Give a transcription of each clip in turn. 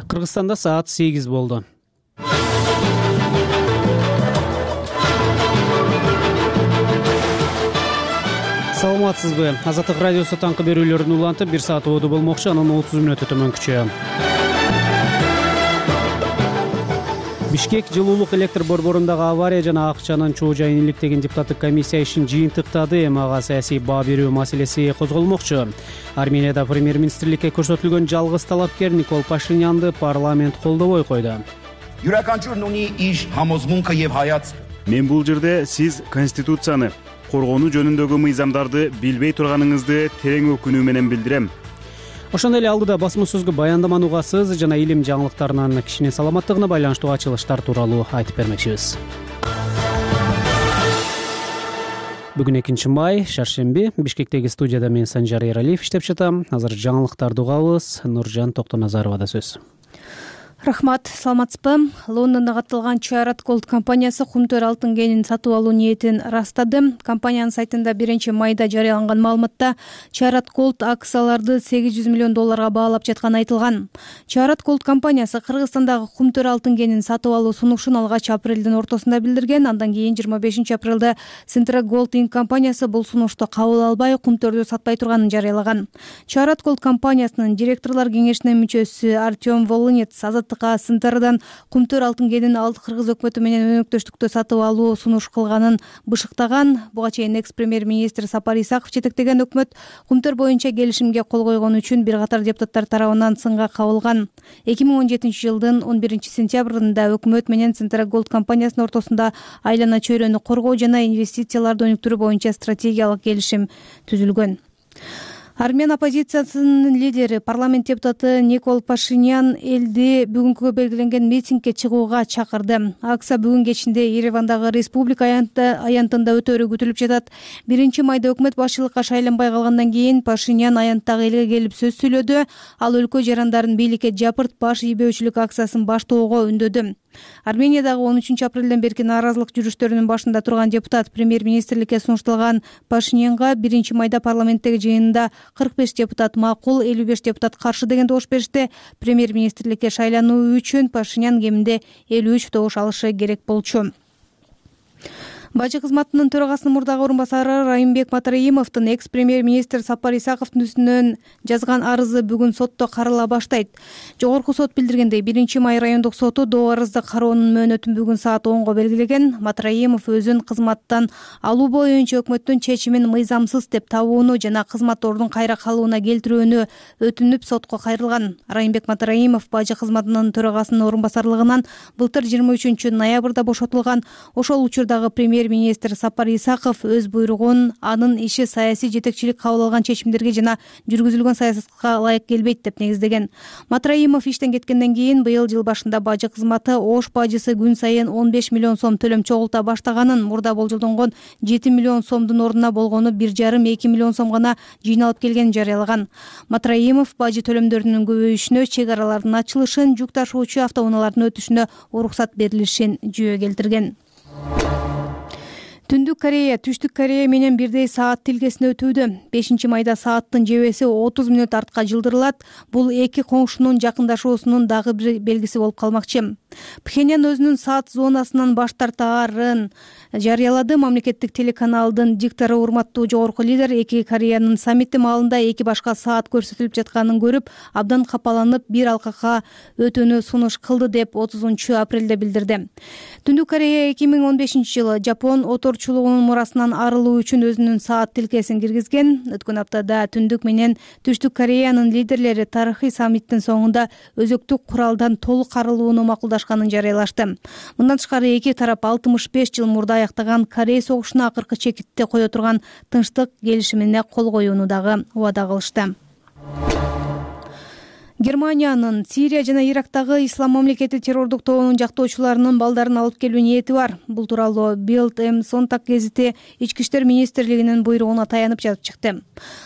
Кыргызстанда саат 8 болду. Саламатсызбы? Азаттык радиосу таңкы берүүлөрүн улантып 1 саат оду болмокчу, анын 30 мүнөтү төмөнкүчө. Бишкек жылуулук электр борборундагы авария жана акчанын чоо жайын иликтеген депутаттык комиссия ишин жыйынтыктады. Ага саясий баа берүү маселеси козголмокчу. Арменияда премьер-министрликке көрсөтүлгөн жалгыз талапкер Никол Пашинянды парламент колдобой койду. Мен бул жерде сиз конституцияны, коргонуу жөнүндөгү мыйзамдарды билбей турганыңызды терең өкүнүү менен билдирем. Ошондой эле алдыда басма сөзгө баяндаманы угасыз жана илим жаңылыктарынан кишинин саламаттыгына байланыштуу ачылыштар тууралуу айтып бермекчибиз. Бүгүн 2-май, шаршемби. Бишкектеги студияда мен Санжар Эралиев иштеп жатам. Азыр жаңылыктарды угабыз. Нуржан Токтоназаровада сөз. Рахмат, саламатсызбы? Лондондо катталган Чарат Голд компаниясы кумтөр алтын кенин сатып алуу ниетин ырастады. Компаниянын сайтында 1-майда жарыяланган маалыматта Чарат Голд акцияларды $800 миллион баалап жатканы айтылган. Чарат Голд компаниясы Кыргызстандагы кумтөр алтын кенин сатып алуу сунушун алгач апрелдин ортосунда билдирген. Андан кийин 25-апрелде Centra Gold Inc. компаниясы бул сунушту кабыл албай, кумтөрдү сатпай турганын жарыялаган. Чарат Голд компаниясынын директорлор кеңешинин мүчөсү Артем Волынец Сынтардан кумтөр алтын кенин кыргыз өкмөтү менен өнөктөштүктө сатып алуу сунуш кылганын бышыктаган. Буга чейин экс-премьер-министр Сапар Исаков жетектеген өкмөт кумтөр боюнча келишимге кол койгон үчүн бир катар депутаттар тарабынан сынга кабылган. 2017 жылдын 11-сентябрында өкмөт менен Centra Gold компаниясынын ортосунда айлана чөйрөнү коргоо жана инвестицияларды өнүктүрүү боюнча стратегиялык келишим түзүлгөн. Армян оппозициясынын лидери, парламент депутаты Никол Пашинян элди бүгүнкү белгиленген митингге чыгууга чакырды. Акция бүгүн кечинде Еревандагы Республика аянтында өтөрү күтүлүп жатат. 1-майда өкмөт башчылыкка шайланбай калгандан кийин Пашинян аянттагы элге келип сөз сүйлөдү. Ал өлкө жарандарын бийликке жапырт баш ийбөөчүлүк акциясын баштоого үндөдү. Армениядагы 13-апрелден берки нааразылык жүрүштөрүнүн башында турган депутат премьер-министрликке сунушталган Пашинянга 1-майда парламенттеги жыйынында 45 депутат макул, 55 депутат каршы деген добуш беришти. Премьер-министрликке шайлануу үчүн Пашинян кеминде 53 добуш алышы керек болчу. Бажы кызматынын төрагасынын мурдагы орун басары Райымбек Матраимовдун экс-премьер-министр Сапар Исаковдун үстүнөн жазган арызы бүгүн сотто карала баштайт. Жогорку сот билдиргендей, 1-май райондук соту доо арызды кароонун мөөнөтүн бүгүн саат 10го белгилеген. Матраимов өзүн кызматтан алуу боюнча өкмөттүн чечимин мыйзамсыз деп табууну жана кызмат ордун кайра калууна келтирүүнү өтүнүп сотко кайрылган. Райымбек Матраимов бажы кызматынын төрагасынын орун басарлыгынан былтыр 23-ноябрда бошотулган. Ошол учурдагы премьер-министр Сапар Исаков өз буйругун анын иши саясий жетекчилик кабыл алган чечимдерге жана жүргүзүлгөн саясатка ылайык келбейт деп негиздеген. Матраимов иштен кеткенден кийин быйыл жыл башында бажы кызматы Ош бажысы күн сайын 15 миллион сом төлөм чогулта баштаганын, мурда болжолдонгон 7 миллион сомдун ордуна болгону 1,5-2 миллион сом гана жыйналып келгенин жарыялаган. Матраимов бажы төлөмдөрүнүн көбөйүшүнө, чек аралардын ачылышын, жүк ташуучу автоунаалардын өтүшүнө уруксат берилишин жүйө келтирген. Түндүк Корея Түштүк Корея менен бирдей саат тилкесине өтүүдө. 5-майда сааттын жебеси 30 мүнөт артка жылдырылат. Бул эки коңшунун жакындашуусунун дагы бир белгиси болуп калмакчы. Пхеньян өзүнүн саат зонасынан баш тартаарын жарыялады. Мамлекеттик телеканалдын диктору урматтуу жогорку лидер эки Кореянын саммити маалында эки башка саат көрсөтүлүп жатканын көрүп, абдан капаланып, бир алкакка өтүүнү сунуш кылды деп 30-апрелде билдирди. Түндүк Корея 2015-жылы Жапон оторчулугунун мурасынан арылуу үчүн өзүнүн саат тилкесин киргизген. Өткөн аптада Түндүк менен Түштүк Кореянын лидерлери тарыхый саммиттин соңунда өзөктүк куралдан толук арылууну макулдашканын жарыялашты. Мындан тышкары эки тарап 65 жыл мурда аяктаган Корей согушуна акыркы чекитти кое турган тынчтык келишимине кол коюуну дагы убада кылышты. Германиянын Сирия жана Ирактагы Ислам мамлекети террордук тобунун жактоочуларынын балдарын алып келүү ниети бар. Бул тууралуу Bild am Sonntag гезити Ички иштер министрлигинин буйругуна таянып жазып чыкты.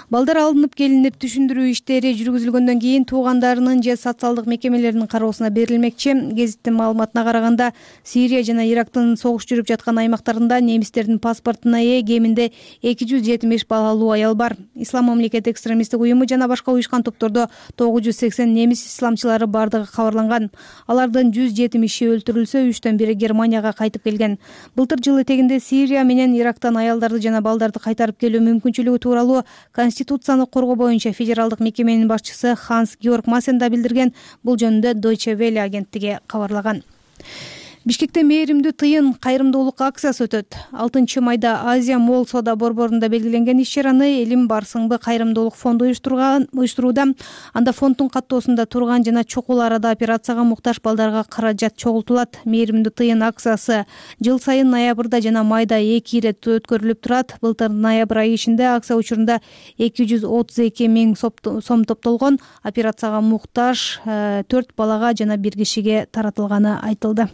Балдар алынып келинип, түшүндүрүү иштери жүргүзүлгөндөн кийин туугандарынын же социалдык мекемелеринин кароосуна берилмекчи. Гезиттин маалыматына караганда, Сирия жана Ирактын согуш жүрүп жаткан аймактарында немистердин паспортуна ээ кеминде 275 балалуу аял бар. Ислам мамлекети экстремисттик уюму жана башка уюшкан топтордо 980 Сириянын немис исламчылары бардыгы кабарланган. Алардын 170-и өлтүрүлсө, 3төн бири Германияга кайтып келген. Былтыр жыл этегинде Сирия менен Ирактан аялдарды жана балдарды кайтарып келүү мүмкүнчүлүгү тууралуу Конституцияны коргоо боюнча федералдык мекеменин башчысы Ханс Георг Массен да билдирген. Бул жөнүндө Deutsche Welle агенттиги кабарлаган. Бишкекте мээримдүү тыйын кайрымдуулук акциясы өтөт. 6 майда Азия Молл соода борборунда белгиленген иш-чараны Элим Барсыңбы кайрымдуулук фонду уюштурууда. Анда фонддун каттоосунда турган жана чокул арада операцияга муктаж балдарга каражат чогултулат. Мээримдүү тыйын акциясы жыл сайын ноябрда жана майда 2 ирет өткөрүлүп турат. Былтыр ноябрь айы ичинде акция учурунда 232 миң сом топтолгон. Операцияга муктаж 4 балага жана 1 кишиге таратылганы айтылды.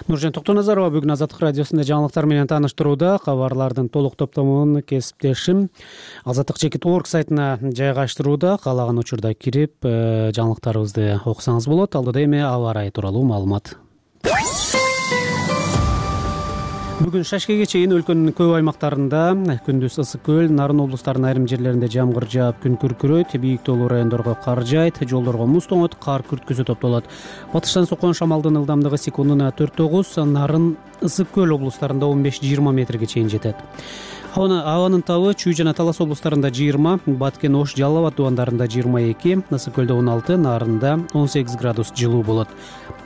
Нуржан Токтоназарова бүгүн Азаттык радиосунда жаңылыктар менен тааныштырууда. Кабарлардын толук топтомун кесиптешим Азаттык.org сайтына жайгаштырууда. Каалаган учурда кирип жаңылыктарыбызды окусаңыз болот. Алдыда эми аба ырайы тууралуу маалымат. Бүгүн шашкеге чейин өлкөнүн көп аймактарында күндүз ысык көл, Нарын облустарынын айрым жерлеринде жамгыр жаап, күн күркүрөйт, бийик тоолуу райондорго кар жаайт, жолдорго муз тоңот, кар күрткүсү топтолот. Батыштан соккон шамалдын ылдамдыгы секундуна 4-9, Нарын ысык көл облустарында 15-20 метрге чейин жетет. Абанын табы Чүй жана Талас облустарында 20, Баткен, Ош, Жалал Абад дубандарында 22, ысык көлдө 16, Нарында 18 градус жылуу болот.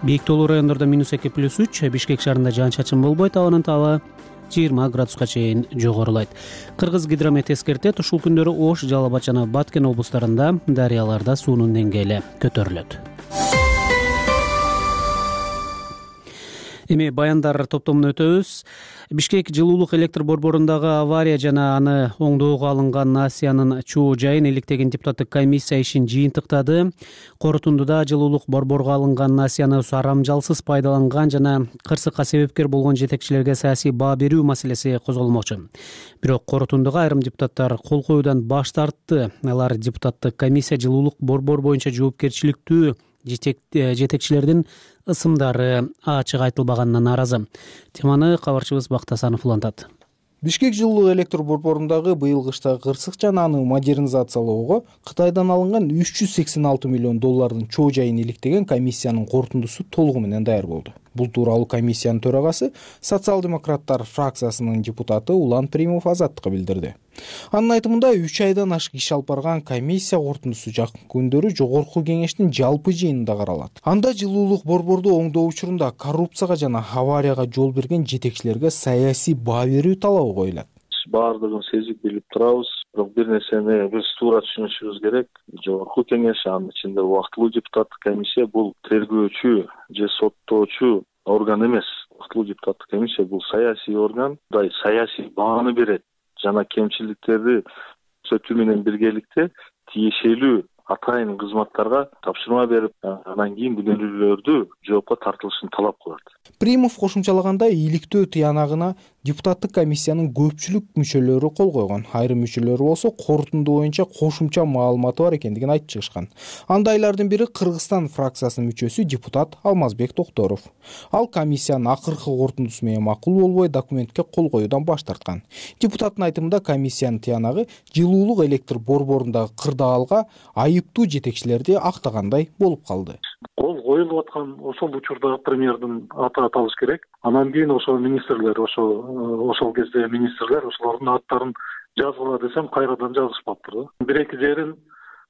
Бийик тоолуу райондордо -2+3, Бишкек шаарында жаан-чачын болбойт, абанын табы 20 градуска чейин жогорулайт. Кыргыз гидромет эскертет, ушул күндөрү Ош, Жалал Абад жана Баткен облустарында дарыяларда суунун деңгээли көтөрүлөт. Эми баяндар топтомуна өтөбүз. Бишкек жылуулук электр борборундагы авария жана аны оңдоого алынган насыянын чоо жайын иликтеген депутаттык комиссия ишин жыйынтыктады. Корутундуда жылуулук борборго алынган насыяны сарамжалсыз пайдаланган жана кырсыкка себепкер болгон жетекчилерге саясий баа берүү маселеси козголмокчу. Бирок корутундуга айрым депутаттар кол коюудан баш тартты. Алар депутаттык комиссия жылуулук борбор боюнча жоопкерчиликтүү жетекчилердин ысымдары ачык айтылбаганына нааразы. Теманы кабарчыбыз Бактасанов улантат. Бишкек жылуулук электр борборундагы быйыл кышта кырсык жана аны модернизациялоого Кытайдан алынган $386 миллион чоо жайын иликтеген комиссиянын корутундусу толугу менен даяр болду. Бул тууралуу комиссиянын төрагасы социал-демократтар фракциясынын депутаты Улан Примов Азаттыкка билдирди. Анын айтымында 3 айдан ашык иш алып барган комиссия корутундусу жакын күндөрү жогорку кеңештин жалпы жыйынында каралат. Анда жылуулук борборду оңдоо учурунда коррупцияга жана аварияга жол берген жетекчилерге саясий баа берүү талабы коюлат. Баардыгын сезип билип турабыз, бирок бир нерсени биз туура түшүнүшүбүз керек. Жогорку кеңеш, анын ичинде убактылуу депутаттык комиссия бул тергөөчү же соттоочу орган эмес. Убактылуу депутаттык комиссия бул саясий орган, саясий бааны берет жана кемчиликтерди түзөтүү менен биргеликте тиешелүү атайын кызматтарга тапшырма берип, андан кийин күнөөлүүлөрдү жоопко тартылышын талап кылат. Примов кошумчалагандай, иликтөө тыянагына депутаттык комиссиянын көпчүлүк мүчөлөрү кол койгон. Айрым мүчөлөрү болсо корутунду боюнча кошумча маалыматы бар экендигин айтып чыгышкан. Андайлардын бири Кыргызстан фракциясынын мүчөсү депутат Алмазбек Токторов. Ал комиссиянын акыркы корутундусу менен макул болбой документке кол коюудан баш тарткан. Депутаттын айтымында комиссиянын тыянагы жылуулук электр борборундагы кырдаалга айыптуу жетекчилерди актагандай болуп калды. Кол коюлуп аткан ошол учурда премьердин аты аталыш керек. Анан кийин ошол министрлер, ошол кезде министрлер ошолордун аттарын жазгыла десем кайрадан жазышпаптыр. Бир-эки жерин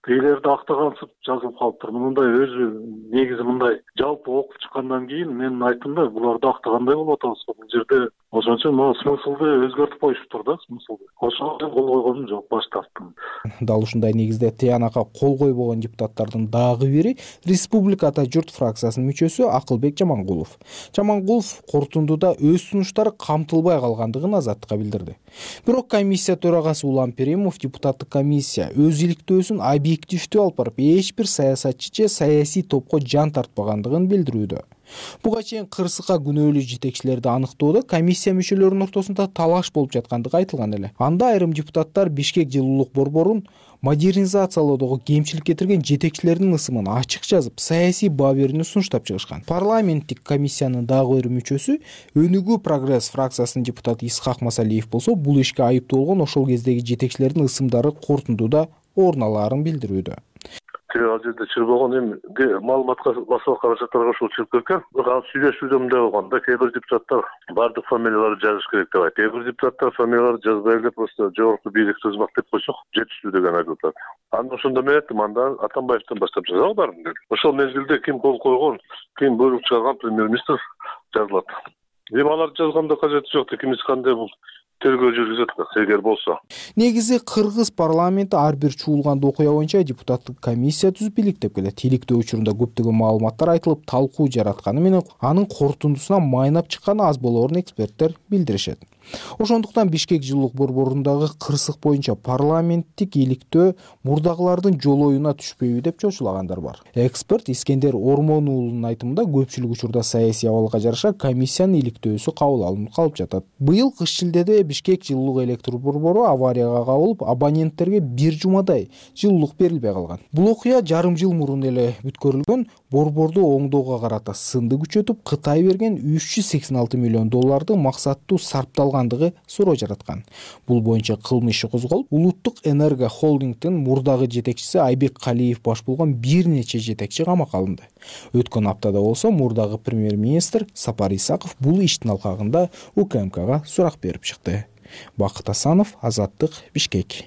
тейлерди актагансып жазылып калыптыр. Мындай өзү негизи мындай жалпы окуп чыккандан кийин менин айтымда буларды актагандай болуп атабыз. Бул жерде ошончо могу смыслды өзгөртүп коюшуптур да, смыслды. Ошого кол койгонум жок, баш тарттым. Дал ушундай негизде тыянакка кол койбогон депутаттардын дагы бири Республика Ата журт фракциясынын мүчөсү Акылбек Жамангулов. Жамангулов корутундуда өз сунуштары камтылбай калгандыгын Азаттыкка билдирди. Бирок комиссия төрагасы Улан Перимов депутаттык комиссия өз иликтөөсүн объективдүү алып барып, эч бир саясатчы же саясий топко жан тартпагандыгын билдирүүдө. Буга чейин кырсыкка күнөөлүү жетекчилерди аныктоодо комиссия мүчөлөрүнүн ортосунда талаш болуп жаткандыгы айтылган эле. Анда айрым депутаттар Бишкек жылуулук борборун модернизациялоодогу кемчилик кетирген жетекчилердин ысымын ачык жазып, саясий баа берүүнү сунуштап чыгышкан. Парламенттик комиссиянын дагы бир мүчөсү Өнүгүү Прогресс фракциясынын депутаты Исхак Масалиев болсо, бул ишке айыптуу болгон ошол кездеги жетекчилердин ысымдары корутундуда орун алаарын билдирүүдө. ал жерде чырбогон эми маалыматка массалык каражаттарга ушул чыгып кеткен. Бирок ал сүйлөшүүдө мындай болгон да, кээ бир депутаттар баардык фамилияларды жазыш керек деп айтты. Кээ бир депутаттар фамилияларды жазбай эле просто жогорку бийлик тызмак деп койсок жетиштүү деген айтып атат. Анда ошондо мен айттым, анда Атамбаевден баштап жазалы баарын дедим. Ошол мезгилде ким кол койгон, ким буйрук чыгарган премьер-министр жазылат. Эми аларды жазганда кажети жок, кимиз кандай бул тергөө жүргүзөт эгер болсо. Негизи кыргыз парламенти ар бир чуулган окуя боюнча депутаттык комиссия түзүп иликтеп келет. Иликтөө учурунда көптөгөн маалыматтар айтылып, талкуу жаратканы менен анын корутундусуна майнап чыкканы аз болоорун эксперттер билдиришет. Ошондуктан Бишкек жылуулук борборундагы кырсык боюнча парламенттик иликтөө мурдагылардын жолоюна түшпөйбү деп чочулагандар бар. Эксперт Искендер Ормон уулунун айтымында көпчүлүк учурда саясий абалга жараша комиссиянын иликтөөсү кабыл алынып калып жатат. Быйыл кыш шилдеде Бишкек жылуулук электр борбору аварияга кабылып, абоненттерге бир жумадай жылуулук берилбей калган. Бул окуя жарым жыл мурун эле бүткөрүлгөн. Борборду оңдоого карата сынды күчөтүп, Кытай берген $386 миллион максаттуу сарпталгандыгы суроо жараткан. Бул боюнча кылмыш иши козголуп, Улуттук энерго холдингдин мурдагы жетекчиси Айбек Калиев баш болгон бир нече жетекчи камакка алынды. Өткөн аптада болсо мурдагы премьер-министр Сапар Исаков бул иштин алкагында УКМКга сурак берип чыкты. Бакыт Асанов, Азаттык, Бишкек.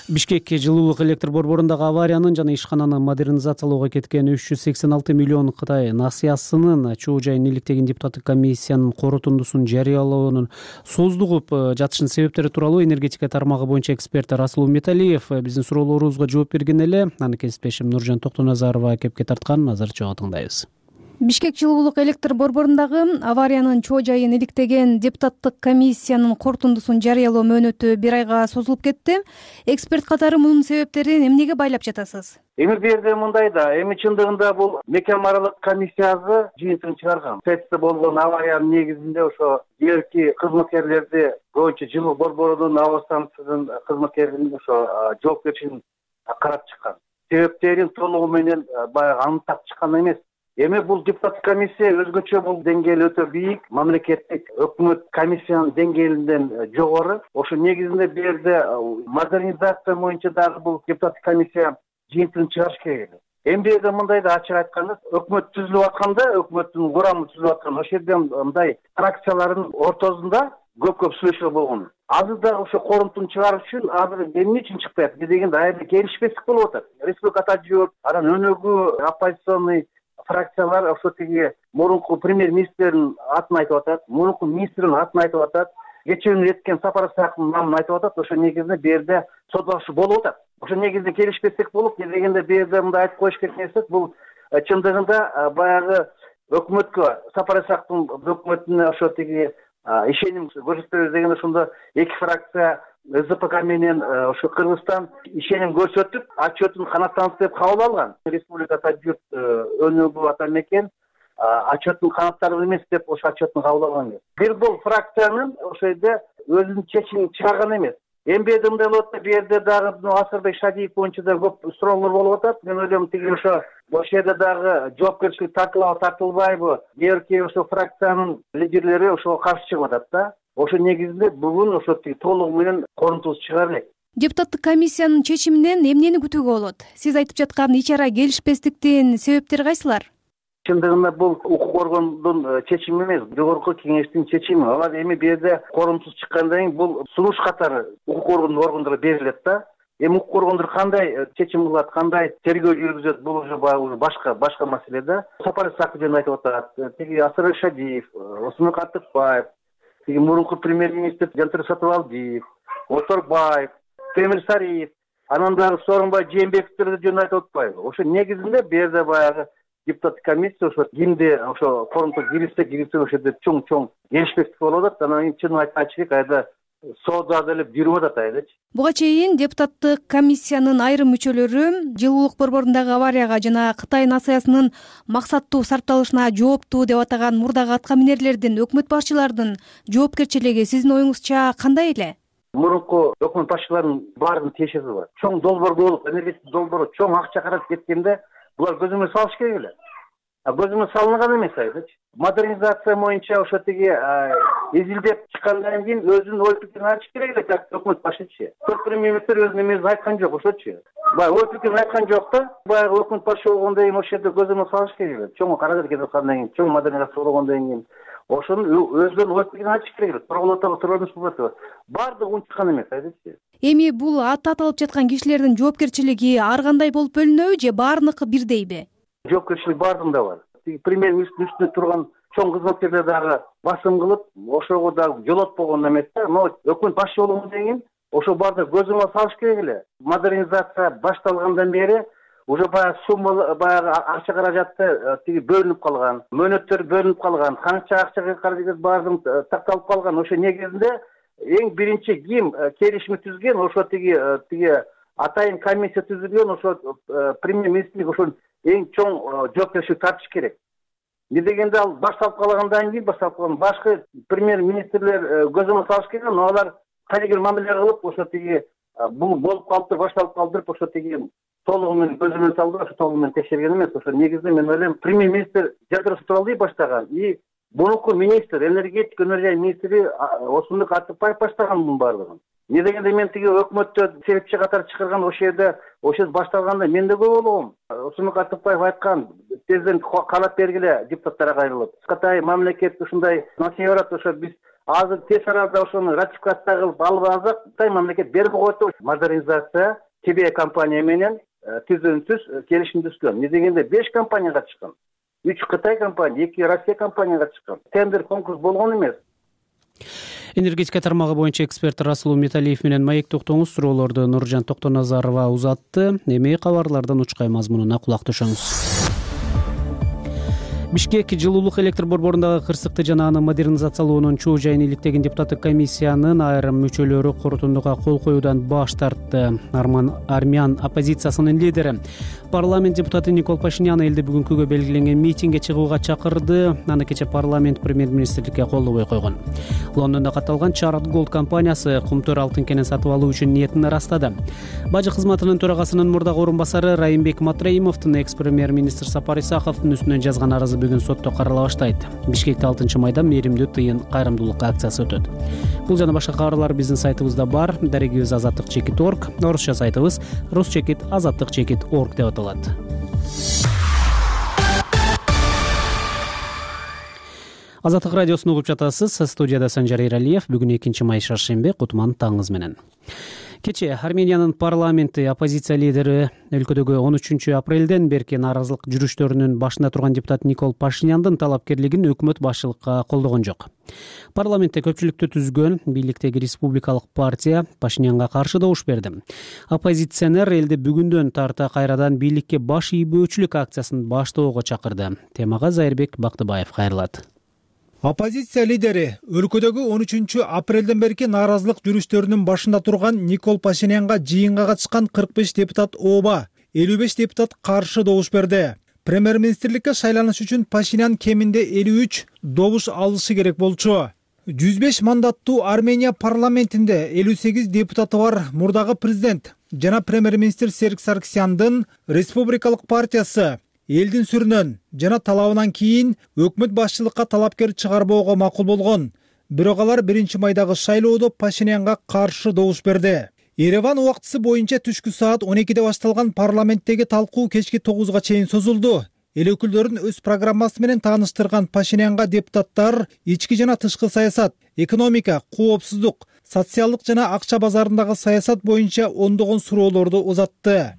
Бишкек жылуулук электр борборундагы авариянын жана ишкананы модернизациялоого кеткен $386 миллион Кытай насыясынын чоо жайын иликтеген депутаттык комиссиянын корутундусун жарыялоонун создугуп жатышынын себептери тууралуу энергетика тармагы боюнча эксперт Расул Металиев биздин суроолорубузга жооп берген эле. Аны кесиптешим Нуржан Токтоназарова кепке тарткан. Азыр чогуу тыңдайбыз. Бишкек жылуулук электр борборундагы авариянын чоо жайын иликтеген депутаттык комиссиянын корутундусун жарыялоо мөөнөтү бир айга созулуп кетти. Эксперт катары мунун себептерин эмнеге байлап жатасыз? Эми бул жерде мындай да, эми чындыгында бул мекем аралык комиссиясы жыйынтыгын чыгарган. Сетте болгон авариянын негизинде ошо жерки кызматкерлерди боюнча жылуулук борборунун аба станциясынын кызматкерлерин ошо жоопкерчилигин карап чыккан. Себептерин толугу менен баягы аныктап чыккан эмес. Эми бул депутаттык комиссия өзгөчө бул деңгээли өтө бийик, мамлекеттик өкмөт комиссиянын деңгээлинден жогору. Ошо негизинде бул жерде модернизация боюнча дагы бул депутаттык комиссия жыйынтыгын чыгарыш керек эле. Эми бул жерде мындай да ачык айтканда, өкмөт түзүлүп атканда, өкмөттүн курамы түзүлүп атканда, ошол жерде мындай фракциялардын ортосунда көп сүйлөшүү болгон. Азыр да ошо корунтуну чыгарыш үчүн азыр эмне үчүн чыкпай атат дегенде айрым келишпестик болуп атат. Республика атажы, анан өнөгүү оппозиционный фракциялар ошо тиги мурунку премьер-министрдин атын айтып атат, мурунку министрдин атын айтып атат, кечээ эткен Сапар Исаковдун намын айтып атат. Ошо негизинде бул жерде соттошуу болуп атат. Ошо негизинде келишпестик болуп, дегенде бул жерде мындай айтып коюш керек нерсе, бул чындыгында баягы өкмөткө, Сапар Исаковдун өкмөтүнө ошо тиги ишеним көрсөтөбүз дегенде ошондо эки фракция СДПК менен ошо Кыргызстан ишеним көрсөтүп, отчетун канаттанып деп кабыл алган. Республика Тажик өнөгүү ата мекен отчеттун канаттары эмес деп ошо отчеттун кабыл алган. Бир бул фракциянын ошо жерде өзүнүн чечимин чыгарган эмес. Эми бул жерде мындай болот да, бул жерде дагы Асырбек Шадиев боюнча да көп суроолор болуп атат. Мен ойлойм тиги ошо жерде дагы жоопкерчилик тартылабы тартылбайбы, берки ошо фракциянын лидерлери ошого каршы чыгып атат да. Ошо негизинде бүгүн ошо толугу менен корунтубузду чыгарып. Депутаттык комиссиянын чечиминен эмнени күтүүгө болот? Сиз айтып жаткан ич ара келишпестиктин себептери кайсылар? Чындыгында бул укук органдын чечими эмес, жогорку кеңештин чечими. Алар эми бул жерде корунтусу чыккандан кийин бул сунуш катары укук органдарына берилет да. Эми укук органдар кандай чечим кылат, кандай тергөө жүргүзөт, бул уже башка маселе да. Сапар Исаков жөнүндө айтып атат, тиги Асырбек Шадиев, Осмон Каттыкбаев, тиги мурунку премьер-министр Жантыр Сатыбалдиев, Оторбаев, Темир Сариев, анан дагы Сооронбай Жээнбековдер жөнүндө айтып атпайбы? Ошо негизинде бул жерде баягы депутаттык комиссия ошо кимди ошо корунтуга кирсе ошо жерде чоң келишпестик болуп атат. Анан кийин чын айтачы айда соода деле жүрүп атат айдачы. Буга чейин депутаттык комиссиянын айрым мүчөлөрү жылуулук борборундагы аварияга жана Кытай насыясынын максаттуу сарпталышына жооптуу деп атаган мурдагы аткаминерлердин, өкмөт башчылардын жоопкерчилиги сиздин оюңузча кандай эле? Мурунку өкмөт башчыларынын баарынын тиешеси бар. Чоң долбоор болуп, энергетик долбоор чоң акча каражат кеткенде булар көзөмөл салыш керек эле. көзүмө салынган эмес айдычы. Модернизация боюнча ошо тиги изилдеп чыккандан кийин өзүнүн ой пикирин айтыш керек эле, как өкмөт башчысы. Премьер-министр өзүнүн эмесин айткан жок, ошочу. Баягы ой пикирин айткан жок да, баягы өкмөт башчы болгондон кийин ошол жерде көзөмө салыш керек эле. Чоң каражат кеткендан кийин, чоң модернизация болгондон кийин ошонун өзүнүн ой пикирин айтыш керек эле. Турган баардыгы унчуккан эмес айдычы. Эми бул аты аталып жаткан кишилердин жоопкерчилиги ар кандай болуп бөлүнөбү же баарыныкы бирдейби? Жоопкерчилик баардыгында бар. Премьер-министр үстүндө турган чоң кызматкерлер дагы басым кылып, ошого дагы жолотпогон эмес да. Но өкмөт башчы болгондон кийин ошо баардыгы көзөмө салыш керек эле. Модернизация башталгандан бери уже баягы сумма, баягы акча каражатты тиги бөлүнүп калган, мөөнөттөр бөлүнүп калган, канча акча каражат баардыгы такталып калган. Ошо негизинде эң биринчи ким келишим түзгөн, ошо тиги атайын комиссия түзүлгөн, ошо премьер-министрлик ошо эң чоң жоопкерчилик тартыш керек. Не дегенде ал башталып калгандан кийин башка премьер-министрлер көзөмө салыш керек, но алар кайдыр мамиле кылып, ошо тиги бул болуп калыптыр, башталып калдырып, ошо тиги толугу менен көзөмө салды, ошо толугу менен текшерген эмес. Ошо негизинде мен ойлойм, премьер-министр жадырасы тууралуу баштаган, и мурунку министр, энергетика өнөр министри Осмонбек Атыкбаев баштаган мунун баардыгын. Не дегенде мен тиги өкмөттө себепчи катары чакырган ошол жерде башталганда мен да көп болгом. Осмонбек Атыкбаев айткан, тезден каалап бергиле депутаттарга кайрылып. Кытай мамлекет ушундай насыя барат, ошо биз азыр тез арада ошону ратификация кылып алып алсак, Кытай мамлекет берип коет деп модернизация ТБ компания менен түзүүнсүз келишим түзгөн. Не дегенде 5 компания катышкан. 3 Кытай компания, 2 Россия компания катышкан. Тендер конкурс болгон эмес. Энергетика тармагы боюнча эксперт Расул Металиев менен маек токтоңуз. Суроолорду Нуржан Токтоназарова узатты. Эми кабарлардан учкай мазмунуна кулак түшөңүз. Бишкек жылуулук электр борборундагы кырсыкты жана аны модернизациялоонун чоо жайын иликтеген депутаттык комиссиянын айрым мүчөлөрү корутундуга кол коюудан баш тартты. Армян оппозициясынын лидери парламент депутаты Никол Пашинян элди бүгүнкүгө белгиленген митингге чыгууга чакырды. Аны кече парламент премьер-министрликке колдобой койгон. Лондондо катталган Чарат Голд компаниясы кумтөр алтын кенен сатып алуу үчүн ниетин ырастады. Бажы кызматынын төрагасынын мурдагы орун басары Райымбек Матраимовдун экс-премьер-министр Сапар Исаховдун үстүнөн жазган арызы бүгүн сотто карала баштайт. Бишкекте 6 майда мээримдүү тыйын кайрымдуулук акциясы өтөт. Бул жана башка кабарлар биздин сайтыбызда бар. Дарегибиз azatlyk.org, орусча сайтыбыз rus-azatlyk.org деп аталат. Азаттык радиосун угуп жатасыз. Студияда Санжар Эралиев. Бүгүн 2 май шаршембе, кутман таңыңыз менен. Кече Армениянын парламенти оппозиция лидери өлкөдөгү 13 апрелден берки нааразылык жүрүштөрүнүн башында турган депутат Никол Пашиняндын талапкерлигин өкмөт башчылыкка колдогон жок. Парламентте көпчүлүктү түзгөн бийликтеги республикалык партия Пашинянга каршы добуш берди. Оппозиционер элди бүгүндөн тарта кайрадан бийликке баш ийбөөчүлүк акциясын баштоого чакырды. Темага Зайырбек Бактыбаев кайрылат. Оппозиция лидери өлкөдөгү 13 апрелден берки нааразылык жүрүштөрүнүн башында турган Никол Пашинянга жыйынга катышкан 45 депутат ооба, 55 депутат каршы добуш берди. Премьер-министрликке шайланыш үчүн Пашинян кеминде 53 добуш алышы керек болчу. 105 мандаттуу Армения парламентинде 58 депутаты бар мурдагы президент жана премьер-министр Серик Саркисяндын республикалык партиясы элдин сүрүнөн жана талабынан кийин өкмөт башчылыкка талапкер чыгарбоого макул болгон. Бирок алар 1 майдагы шайлоодо Пашинянга каршы добуш берди. Ереван убактысы боюнча түшкү саат 12де башталган парламенттеги талкуу кечки 9га чейин созулду. Эл өкүлдөрүн өз программасы менен тааныштырган Пашинянга депутаттар ички жана тышкы саясат, экономика, коопсуздук, социалдык жана акча базарындагы саясат боюнча ондогон суроолорду узатты.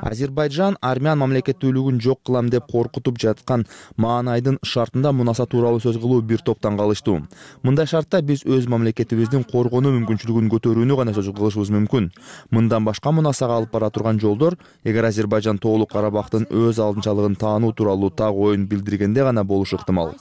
Азербайжан армян мамлекеттүүлүгүн жок кылам деп коркутуп жаткан маанайдын шартында мунаса тууралуу сөз кылуу бир топтан калыштуу. Мындай шартта биз өз мамлекетибиздин коргонуу мүмкүнчүлүгүн көтөрүүнү гана сөз кылышыбыз мүмкүн. Мындан башка мунасага алып бара турган жолдор, эгер Азербайжан тоолук Карабактын өз алдынчалыгын таануу тууралуу так оюн билдиргенде гана болушу ыктымал.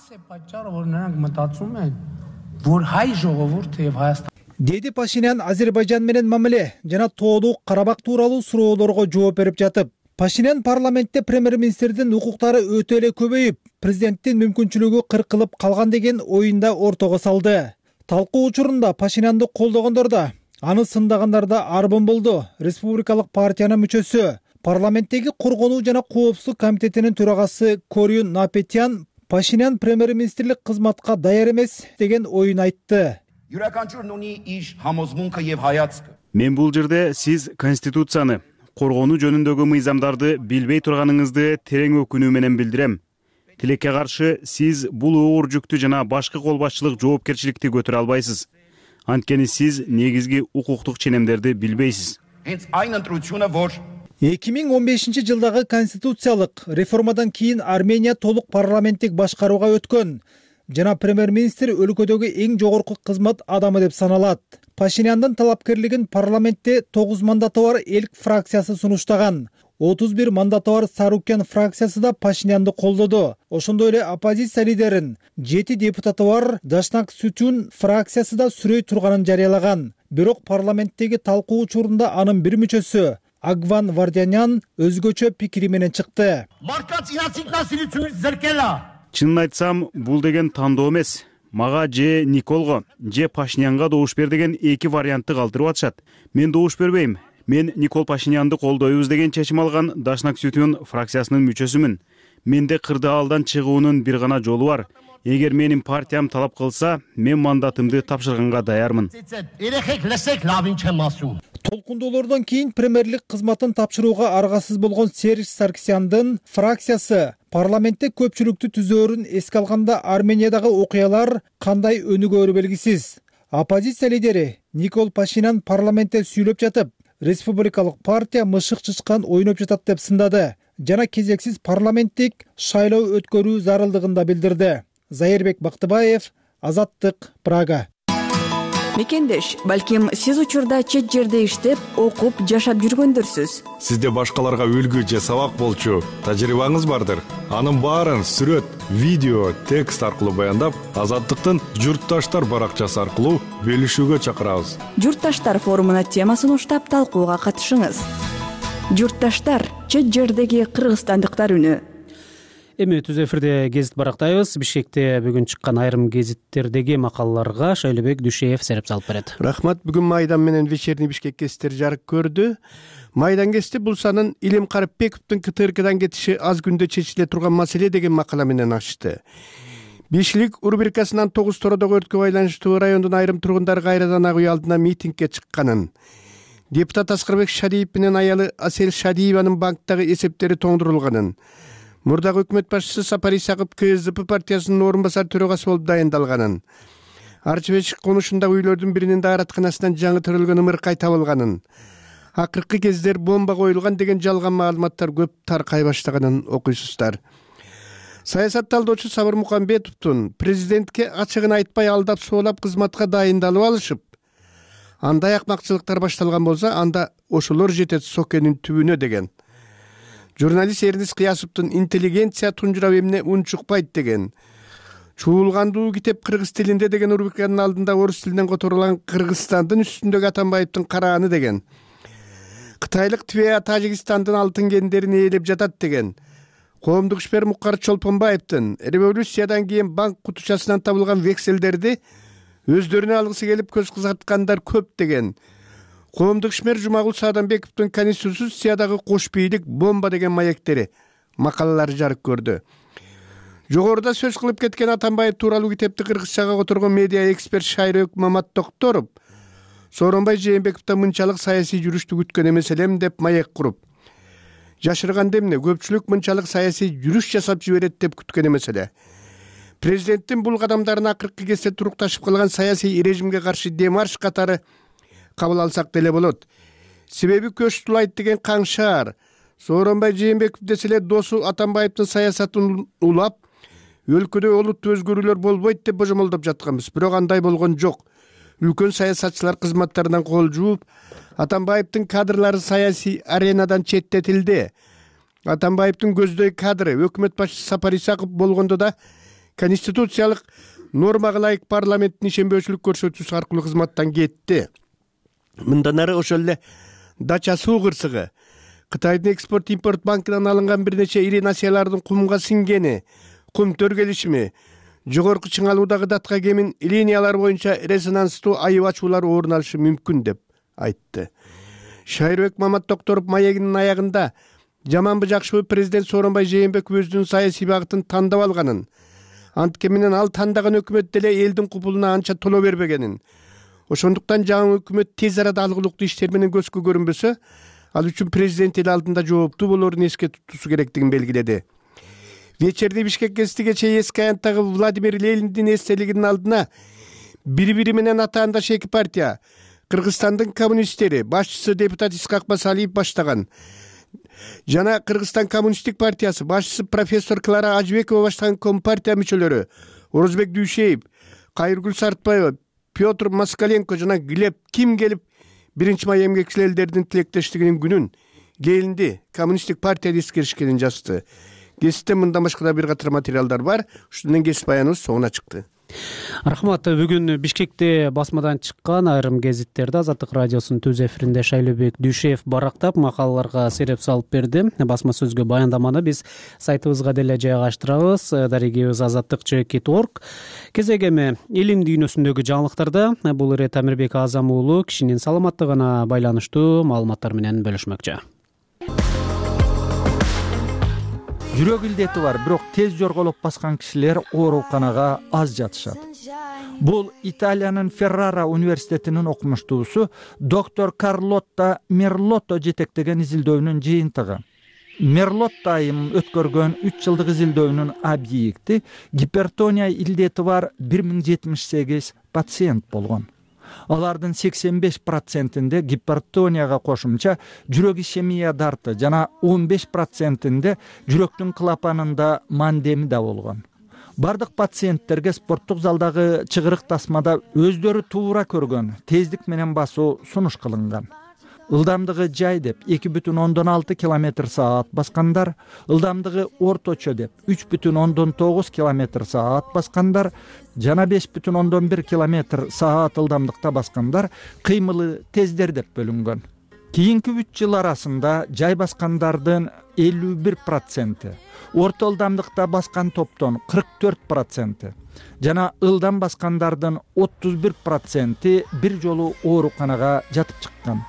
Деди Пашинян Азербайжан менен мамиле жана тоолук Карабак тууралуу суроолорго жооп берип жатып. Пашинян парламентте премьер-министрдин укуктары өтө эле көбөйүп, президенттин мүмкүнчүлүгү кыркылып калган деген оюнда ортого салды. Талкуу учурунда Пашинянды колдогондор да, Аны сындагандар да арбын болду. Республикалык партиянын мүчөсү, парламенттеги коргонуу жана коопсуздук комитетинин төрагасы Корюн Напетян Пашинян премьер-министрлик кызматка даяр эмес деген оюн айтты. Мен бул жерде сиз конституцияны, коргонуу жөнүндөгү мыйзамдарды билбей турганыңызды терең өкүнүү менен билдирем. Тилекке каршы сиз бул оор жүктү жана башкы кол башчылык жоопкерчиликти көтөрө албайсыз. Анткени сиз негизги укуктук ченемдерди билбейсиз. 2015 жылдагы конституциялык реформадан кийин Армения толук парламенттик башкарууга өткөн жана премьер-министр өлкөдөгү эң жогорку кызмат адамы деп саналат. Пашиняндын талапкерлигин парламентте 9 мандаты бар эл фракциясы сунуштаган. 31 мандаты бар Сарукян фракциясы да Пашинянды колдоду. Ошондой эле оппозиция лидерин 7 депутаты бар Дашнак Сутюн фракциясы да сүрөй турганын жарыялаган. Бирок парламенттеги талкуу учурунда анын бир мүчөсү Агван Вардянян өзгөчө пикири менен чыкты. Чынын айтсам, бул деген тандоо эмес. Мага же Николго, же Пашинянга добуш бер деген эки вариантты калтырып атышат. Мен добуш бербейм. Мен Никол Пашинянды колдойбуз деген чечим алган Дашнак Сутюн фракциясынын мүчөсүмүн. Менде кырдаалдан чыгуунун бир гана жолу бар. Эгер менин партиям талап кылса, мен мандатымды тапшырганга даярмын. Толкундоолордон кийин премьерлик кызматын тапшырууга аргасыз болгон Серж Саркисяндын фракциясы парламентте көпчүлүктү түзөөрүн эске алганда Армениядагы окуялар кандай өнүгөөрү белгисиз. Оппозиция лидери Никол Пашинян парламентте сүйлөп жатып, республикалык партия мышык чычкан ойноп жатат деп сындады жана кезексиз парламенттик шайлоо өткөрүү зарылдыгын да билдирди. Зайырбек Бактыбаев, Азаттык, Прага. Мекендеш, балким сиз учурда чет жерде иштеп, окуп, жашап жүргөндөрсүз. Сизде башкаларга үлгү же сабак болчу тажрыйбаңыз бардыр. Анын баарын сүрөт, видео, текст аркылуу баяндап, Азаттыктын Журтташтар баракчасы аркылуу бөлүшүүгө чакырабыз. Журтташтар форумуна тема сунуштап талкууга катышыңыз. Журтташтар, чет жердеги кыргызстандыктар үнү. Эми түз эфирде гезит барактайбыз. Бишкекте бүгүн чыккан айрым гезиттердеги макалаларга Шайлебек Дүйшеев сереп салып берет. Рахмат. Бүгүн Майдан менен вечерний Бишкек гезиттери жарык көрдү. Майдан гезити бул санын Илим Карипбековдун КТРКдан кетиши аз күндө чечиле турган маселе деген макала менен ачты. Бишилик рубрикасынан 9 тоrodогу өрткө байланыштуу райондун айрым тургундары кайрадан ак үй алдына митингге чыкканын, депутат Аскарбек Шадиев менен аялы Асел Шадиеванын банктагы эсептери тоңдурулганын, мурдагы өкмөт башчысы Сапар Исаков КСДП партиясынын орун басар төрагасы болуп дайындалганын, Арчыбечик конушундагы үйлөрдүн биринин дааратканасынан жаңы төрөлгөн ымыркай табылганын, акыркы кездер бомба коюлган деген жалган маалыматтар көп таркай баштаганын окуйсуздар. Саясат талдоочу Сабыр Мукамбетовдун президентке ачыгын айтпай алдап соолап кызматка дайындалып алышып, андай акмакчылыктар башталган болсо, анда ошолор жетет сокенин түбүнө деген. Журналист Эрнис Кыясовдун интеллигенция тунжурап эмне унчукпайт деген, чуулгандуу китеп кыргыз тилинде деген рубриканын алдында орус тилинен которулган Кыргызстандын үстүндөгү Атамбаевдин карааны деген, Кытайлык Твеа Тажикстандын алтын кендерин ээлеп жатат деген, коомдук ишмер Мукар Чолпонбаевдин революциядан кийин банк кутучасынан табылган векселдерди өздөрүнө алгысы келип көз кызарткандар көп деген, коомдук ишмер Жумагул Саадамбековдун конституциядагы кош бийлик бомба деген маектери макалалары жарык көрдү. Жогоруда сөз кылып кеткен Атамбаев тууралуу китепти кыргызчага которгон медиа эксперт Шайрек Мамат Токторов Сооронбай Жээнбековдон мынчалык саясий жүрүштү күткөн эмес элем деп маек куруп, жашырганда эмне көпчүлүк мынчалык саясий жүрүш жасап жиберет деп күткөн эмес эле. Президенттин бул кадамдарын акыркы кезде турукташып калган саясий режимге каршы демарш катары кабыл алсак деле болот. Себеби көч тулайт деген каңшаар Сооронбай Жээнбеков десе эле досу Атамбаевдин саясатын улап, өлкөдө олуттуу өзгөрүүлөр болбойт деп божомолдоп жатканбыз. Бирок андай болгон жок. Үлкөн саясатчылар кызматтарынан кол жууп, Атамбаевдин кадрлары саясий аренадан четтетилди. Атамбаевдин көздөй кадры өкмөт башчысы Сапар Исаков болгондо да конституциялык нормага ылайык парламенттин ишенбөөчүлүк көрсөтүүсү аркылуу кызматтан кетти. Мындан ары ошол эле Дача суу кырсыгы, Кытайдын экспорт-импорт банкынан алынган бир нече ири насыялардын кумга сиңгени, кум төргелишими, жогорку чыңалуудагы датка кемин линиялар боюнча резонанстуу айып ачуулар орун алышы мүмкүн деп айтты. Шайырбек Маматдокторов маегинин аягында жаманбы жакшыбы президент Сооронбай Жээнбеков өзүнүн саясий багытын тандап алганын, анткени менен ал тандаган өкмөт деле элдин купулуна анча толо бербегенин, ошондуктан жаңы өкмөт тез арада алгылыктуу иштер менен көзгө көрүнбөсө, ал үчүн президент эл алдында жооптуу болоорун эске тутуусу керектигин белгиледи. Вечерде Бишкек гезити кечээ эски аянттагы Владимир Лениндин эстелигинин алдына бири-бири менен атаандаш эки партия, Кыргызстандын коммунисттери, башчысы депутат Исхак Масалиев баштаган жана Кыргызстан коммунисттик партиясы башчысы профессор Клара Ажыбекова баштаган Компартия мүчөлөрү Орозбек Дүйшеев, Кайыргүл Сартбаева, Петр Москаленко жана Глеб Ким келип 1-май эмгекчил элдердин тилектештигинин күнүн келинди коммунисттик партияда эскеришкенин жазды. Гезитте мындан башка да бир катар материалдар бар. Ушундан кесип аяныбыз соңуна чыкты. Рахмат. Бүгүн Бишкекте басмадан чыккан айрым гезиттерди Азаттык радиосунун түз эфиринде Шайлообек Дүйшеев барактап макалаларга сереп салып берди. Басма сөзгө баяндаманы биз сайтыбызга деле жайгаштырабыз. Дарегибиз azattik.org. Кезек эми илим дүйнөсүндөгү жаңылыктарда бул ирет Амирбек Азам уулу кишинин саламаттыгына байланыштуу маалыматтар менен бөлүшмөкчү. Жүрөк илдети бар, бирок тез жорголоп баскан кишилер ооруканага аз жатышат. Бул Италиянын Феррара университетинин окумуштуусу доктор Карлотта Мерлотто жетектеген изилдөөнүн жыйынтыгы. Мерлотто айым өткөргөн 3 жылдык изилдөөнүн объекти гипертония илдети бар 1078 пациент болгон. Алардын 85%-inde гипертонияга кошумча жүрөк ишемия дарты жана 15%-inde жүрөктүн клапанында мандеми да болгон. Бардык пациенттерге спорттук залдагы чыгырык тасмада өздөрү туура көргөн тездик менен басуу сунуш кылынган. Ылдамдыгы жай деп 2,6 км/саат баскандар, ылдамдыгы орточо деп 3,9 км/саат баскандар жана 5,1 км/саат ылдамдыкта баскандар кыймылы тездер деп бөлүнгөн. Кийинки 3 жыл арасында жай баскандардын 51%, орто ылдамдыкта баскан топтон 44% жана ылдам баскандардын 31% бир жолу ооруканага жатып чыккан.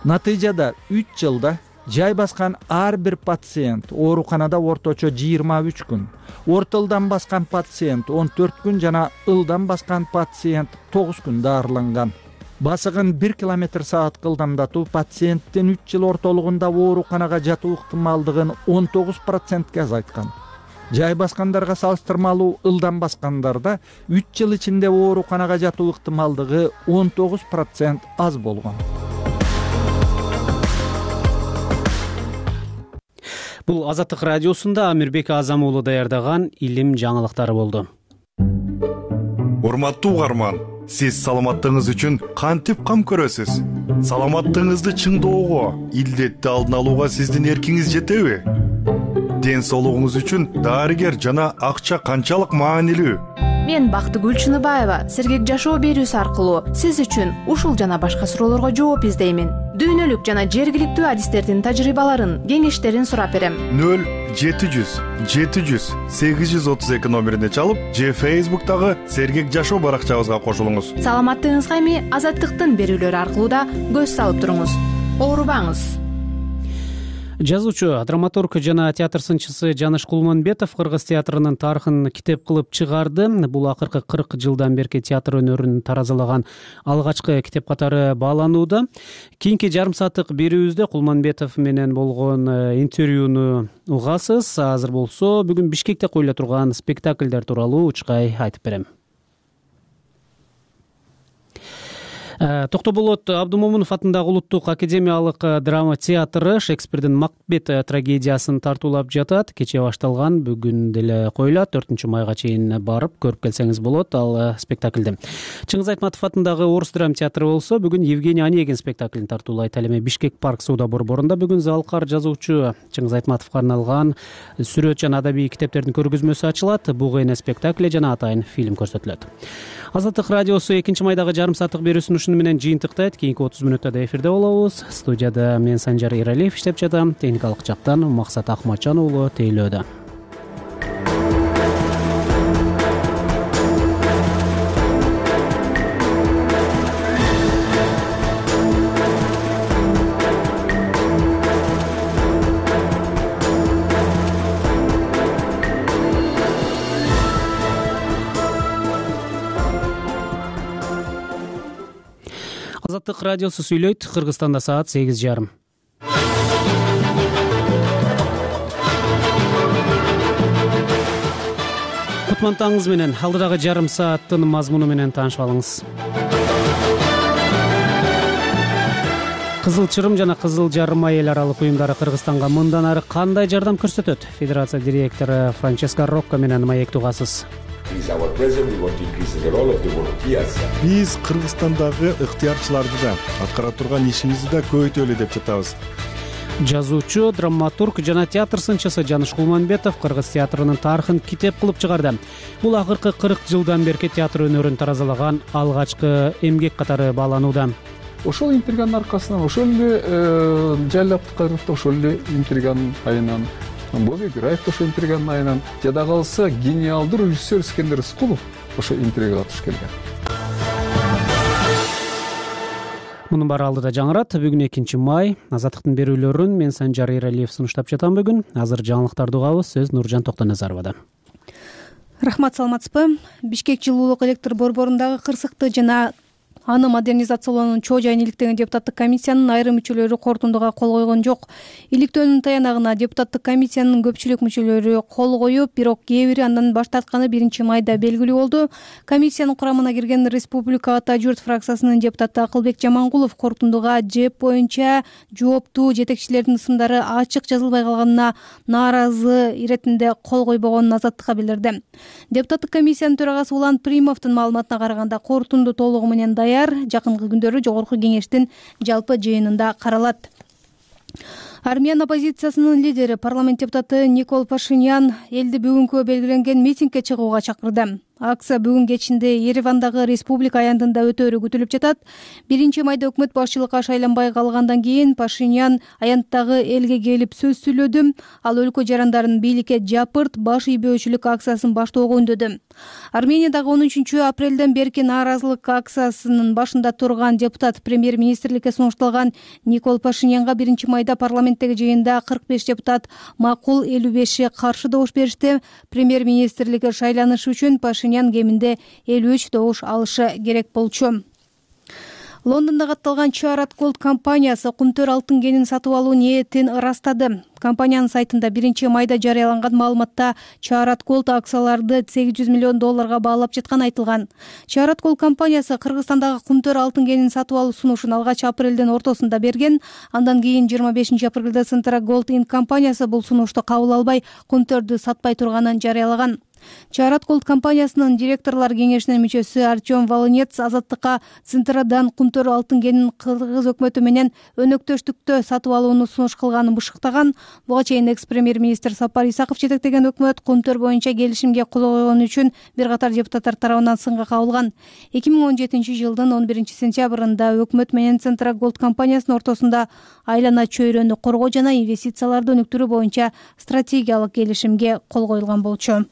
Натыйжада 3 жылда жай баскан ар бир пациент ооруканада орточо 23 күн, орто ылдам баскан пациент 14 күн жана ылдам баскан пациент 9 күн даарыланган. Басыгын 1 км/саатка ылдамдатуу пациенттин 3 жыл ортолугунда ооруканага жатуу ыктымалдыгын 19%ке азайткан. Жай баскандарга салыштырмалуу ылдам баскандарда 3 жыл ичинде ооруканага жатуу ыктымалдыгы 19% аз болгон. Бул Азаттык радиосунда Амирбек Азам уулу даярдаган илим жаңылыктары болду. Урматтуу угарман, сиз саламаттыгыңыз үчүн кантип кам көрөсүз? Саламаттыгыңызды чыңдоого, илдетти алдын алууга сиздин эркиңиз жетеби? Ден соолугуңуз үчүн дарыгер жана акча канчалык маанилүү? Мен Бактыгүл Чыныбаева сергек жашоо берүүсү аркылуу сиз үчүн ушул жана башка суроолорго жооп издеймин. Дүйнөлүк жана жергиликтүү адистердин тажрыйбаларын, кеңештерин сурап берем. 0-700-832 номерине чалып, же Facebook'тагы сергек жашоо баракчабызга кошулуңуз. Саламаттыгыңызга эми Азаттыктын берүүлөрү аркылуу да көз салып туруңуз. Оорубаңыз. Жазуучу, драматург жана театр сынчысы Жаныш Кулманбетов Кыргыз театрынын тарыхын китеп кылып чыгарды. Бул акыркы 40 жылдан берки театр өнөрүн таразалаган алгачкы китеп катары бааланууда. Кийинки жарым сааттык берүүбүздө Кулманбетов менен болгон интервьюну угасыз. Азыр болсо бүгүн Бишкекте коюла турган спектакльдер тууралуу учкай айтып берем. Токтоболот Абдумомунов атындагы Улуттук академиялык драма театры Шекспирдин Макбет трагедиясын тартуулап жатат. Кечээ башталган, бүгүн деле коюлат. 4-майга чейин барып көрүп келсеңиз болот ал спектакльди. Чыңгыз Айтматов атындагы Орус драма театры болсо бүгүн Евгений Онегин спектаклин тартуулайт. Ал эми Бишкек парк сууда борборунда бүгүн залкар жазуучу Чыңгыз Айтматовго арналган сүрөт жана адабий китептердин көргөзмөсү ачылат. Бугайна спектакли жана атайын фильм көрсөтүлөт. Азаттык радиосу 2-майдагы жарым сааттык берүүсүн ушуну менен жыйынтыктайт. Кийинки 30 мүнөттө да эфирде болобуз. Студияда мен Санжар Иралиев иштеп жатам. Техникалык жактан Максат Акматжан уулу тейлөөдө. Азаттык радиосу сүйлөйт. Кыргызстанда саат 8:30. Кутман менен алдыдагы жарым сааттын мазмуну менен таанышып алыңыз. Кызыл Чырым жана Кызыл Жарым эл аралык уюмдары Кыргызстанга мындан ары кандай жардам көрсөтөт? Федерация директору Франческо Рокко менен маек тугасыз. Биз Кыргызстандагы ыктыярчыларды да, аткара турган ишибизди да көбөйтөлү деп жатабыз. Жазуучу, драматург жана театр сынчысы Жаныш Кулманбетов кыргыз театрынын тарыхын китеп кылып чыгарды. Бул акыркы 40 жылдан берки театр өнөрүн таразалаган алгачкы эмгек катары бааланууда. Ошол интриганын аркасынан, ошол эле Жайлап Кайров да ошол эле интриганын айынан, Бобек Гураев да ошол интриганын айынан, жада калса гениалдуу режиссер Искендер Рыскулов ошо интригага катышып келген. Мунун баары алдыда жаңырат. Бүгүн 2 май. Азаттыктын берүүлөрүн мен Санжар Эралиев сунуштап жатам бүгүн. Азыр жаңылыктарды угабыз. Сөз Нуржан Токтоназаровада. Рахмат, саламатсызбы? Бишкек жылуулук электр борборундагы кырсыкты жана аны модернизациялоонун чоо жайын иликтеген депутаттык комиссиянын айрым мүчөлөрү корутундуга кол койгон жок. Иликтөөнүн таянагына депутаттык комиссиянын көпчүлүк мүчөлөрү кол коюп, бирок кээ бири андан баш тартканы 1 майда белгилүү болду. Комиссиянын курамына кирген Республика Ата журт фракциясынын депутаты Акылбек Жамангулов корутундуга ЖЭП боюнча жооптуу жетекчилердин ысымдары ачык жазылбай калганына нааразы иретинде кол койбогонун Азаттыкка билдирди. Депутаттык комиссиянын төрагасы Улан Примовдун маалыматына караганда корутунду толугу менен даяр, жакынкы күндөрү жогорку кеңештин жалпы жыйынында каралат. Армян оппозициясынын лидери, парламент депутаты Никол Пашинян элди бүгүнкү белгиленген митингге чыгууга чакырды. Акция бүгүн кечинде Еревандагы республика аянтында өтөөрү күтүлүп жатат. 1 майда өкмөт башчылыкка шайланбай калгандан кийин Пашинян аянттагы элге келип сөз сүйлөдү. Ал өлкө жарандарын бийликке жапырт баш ийбөөчүлүк акциясын баштоого үндөдү. Армениядагы 13 апрелден берки нааразылык акциясынын башында турган депутат премьер-министрликке сунушталган Никол Пашинянга 1 майда парламенттеги жыйында 45 депутат макул, 55 каршы добуш беришти. Премьер-министрликке шайланыш үчүн Пашинян кеминде 53 добуш алышы керек болчу. Лондондо катталган Чарат Голд компаниясы кумтөр алтын кенин сатып алуу ниетин ырастады. Компаниянын сайтында 1 майда жарыяланган маалыматта Чарат Голд акцияларды $800 миллион баалап жатканы айтылган. Чарат Голд компаниясы Кыргызстандагы кумтөр алтын кенин сатып алуу сунушун алгач апрелдин ортосунда берген. Андан кийин 25 апрелде Центра Голд Инк компаниясы бул сунушту кабыл албай, кумтөрдү сатпай турганын жарыялаган. Чарат Голд компаниясынын директорлор кеңешинин мүчөсү Артем Волынец Азаттыкка Центрадан кумтөр алтын кенин Кыргыз өкмөтү менен өнөктөштүктө сатып алууну сунуш кылганын бышыктаган. Буга чейин экс-премьер-министр Сапар Исаков жетектеген өкмөт кумтөр боюнча келишимге кол койгон үчүн бир катар депутаттар тарабынан сынга кабылган. 2017 жылдын 11 сентябрында өкмөт менен Центра Голд компаниясынын ортосунда айлана чөйрөнү коргоо жана инвестицияларды өнүктүрүү боюнча стратегиялык келишимге кол коюлган болчу.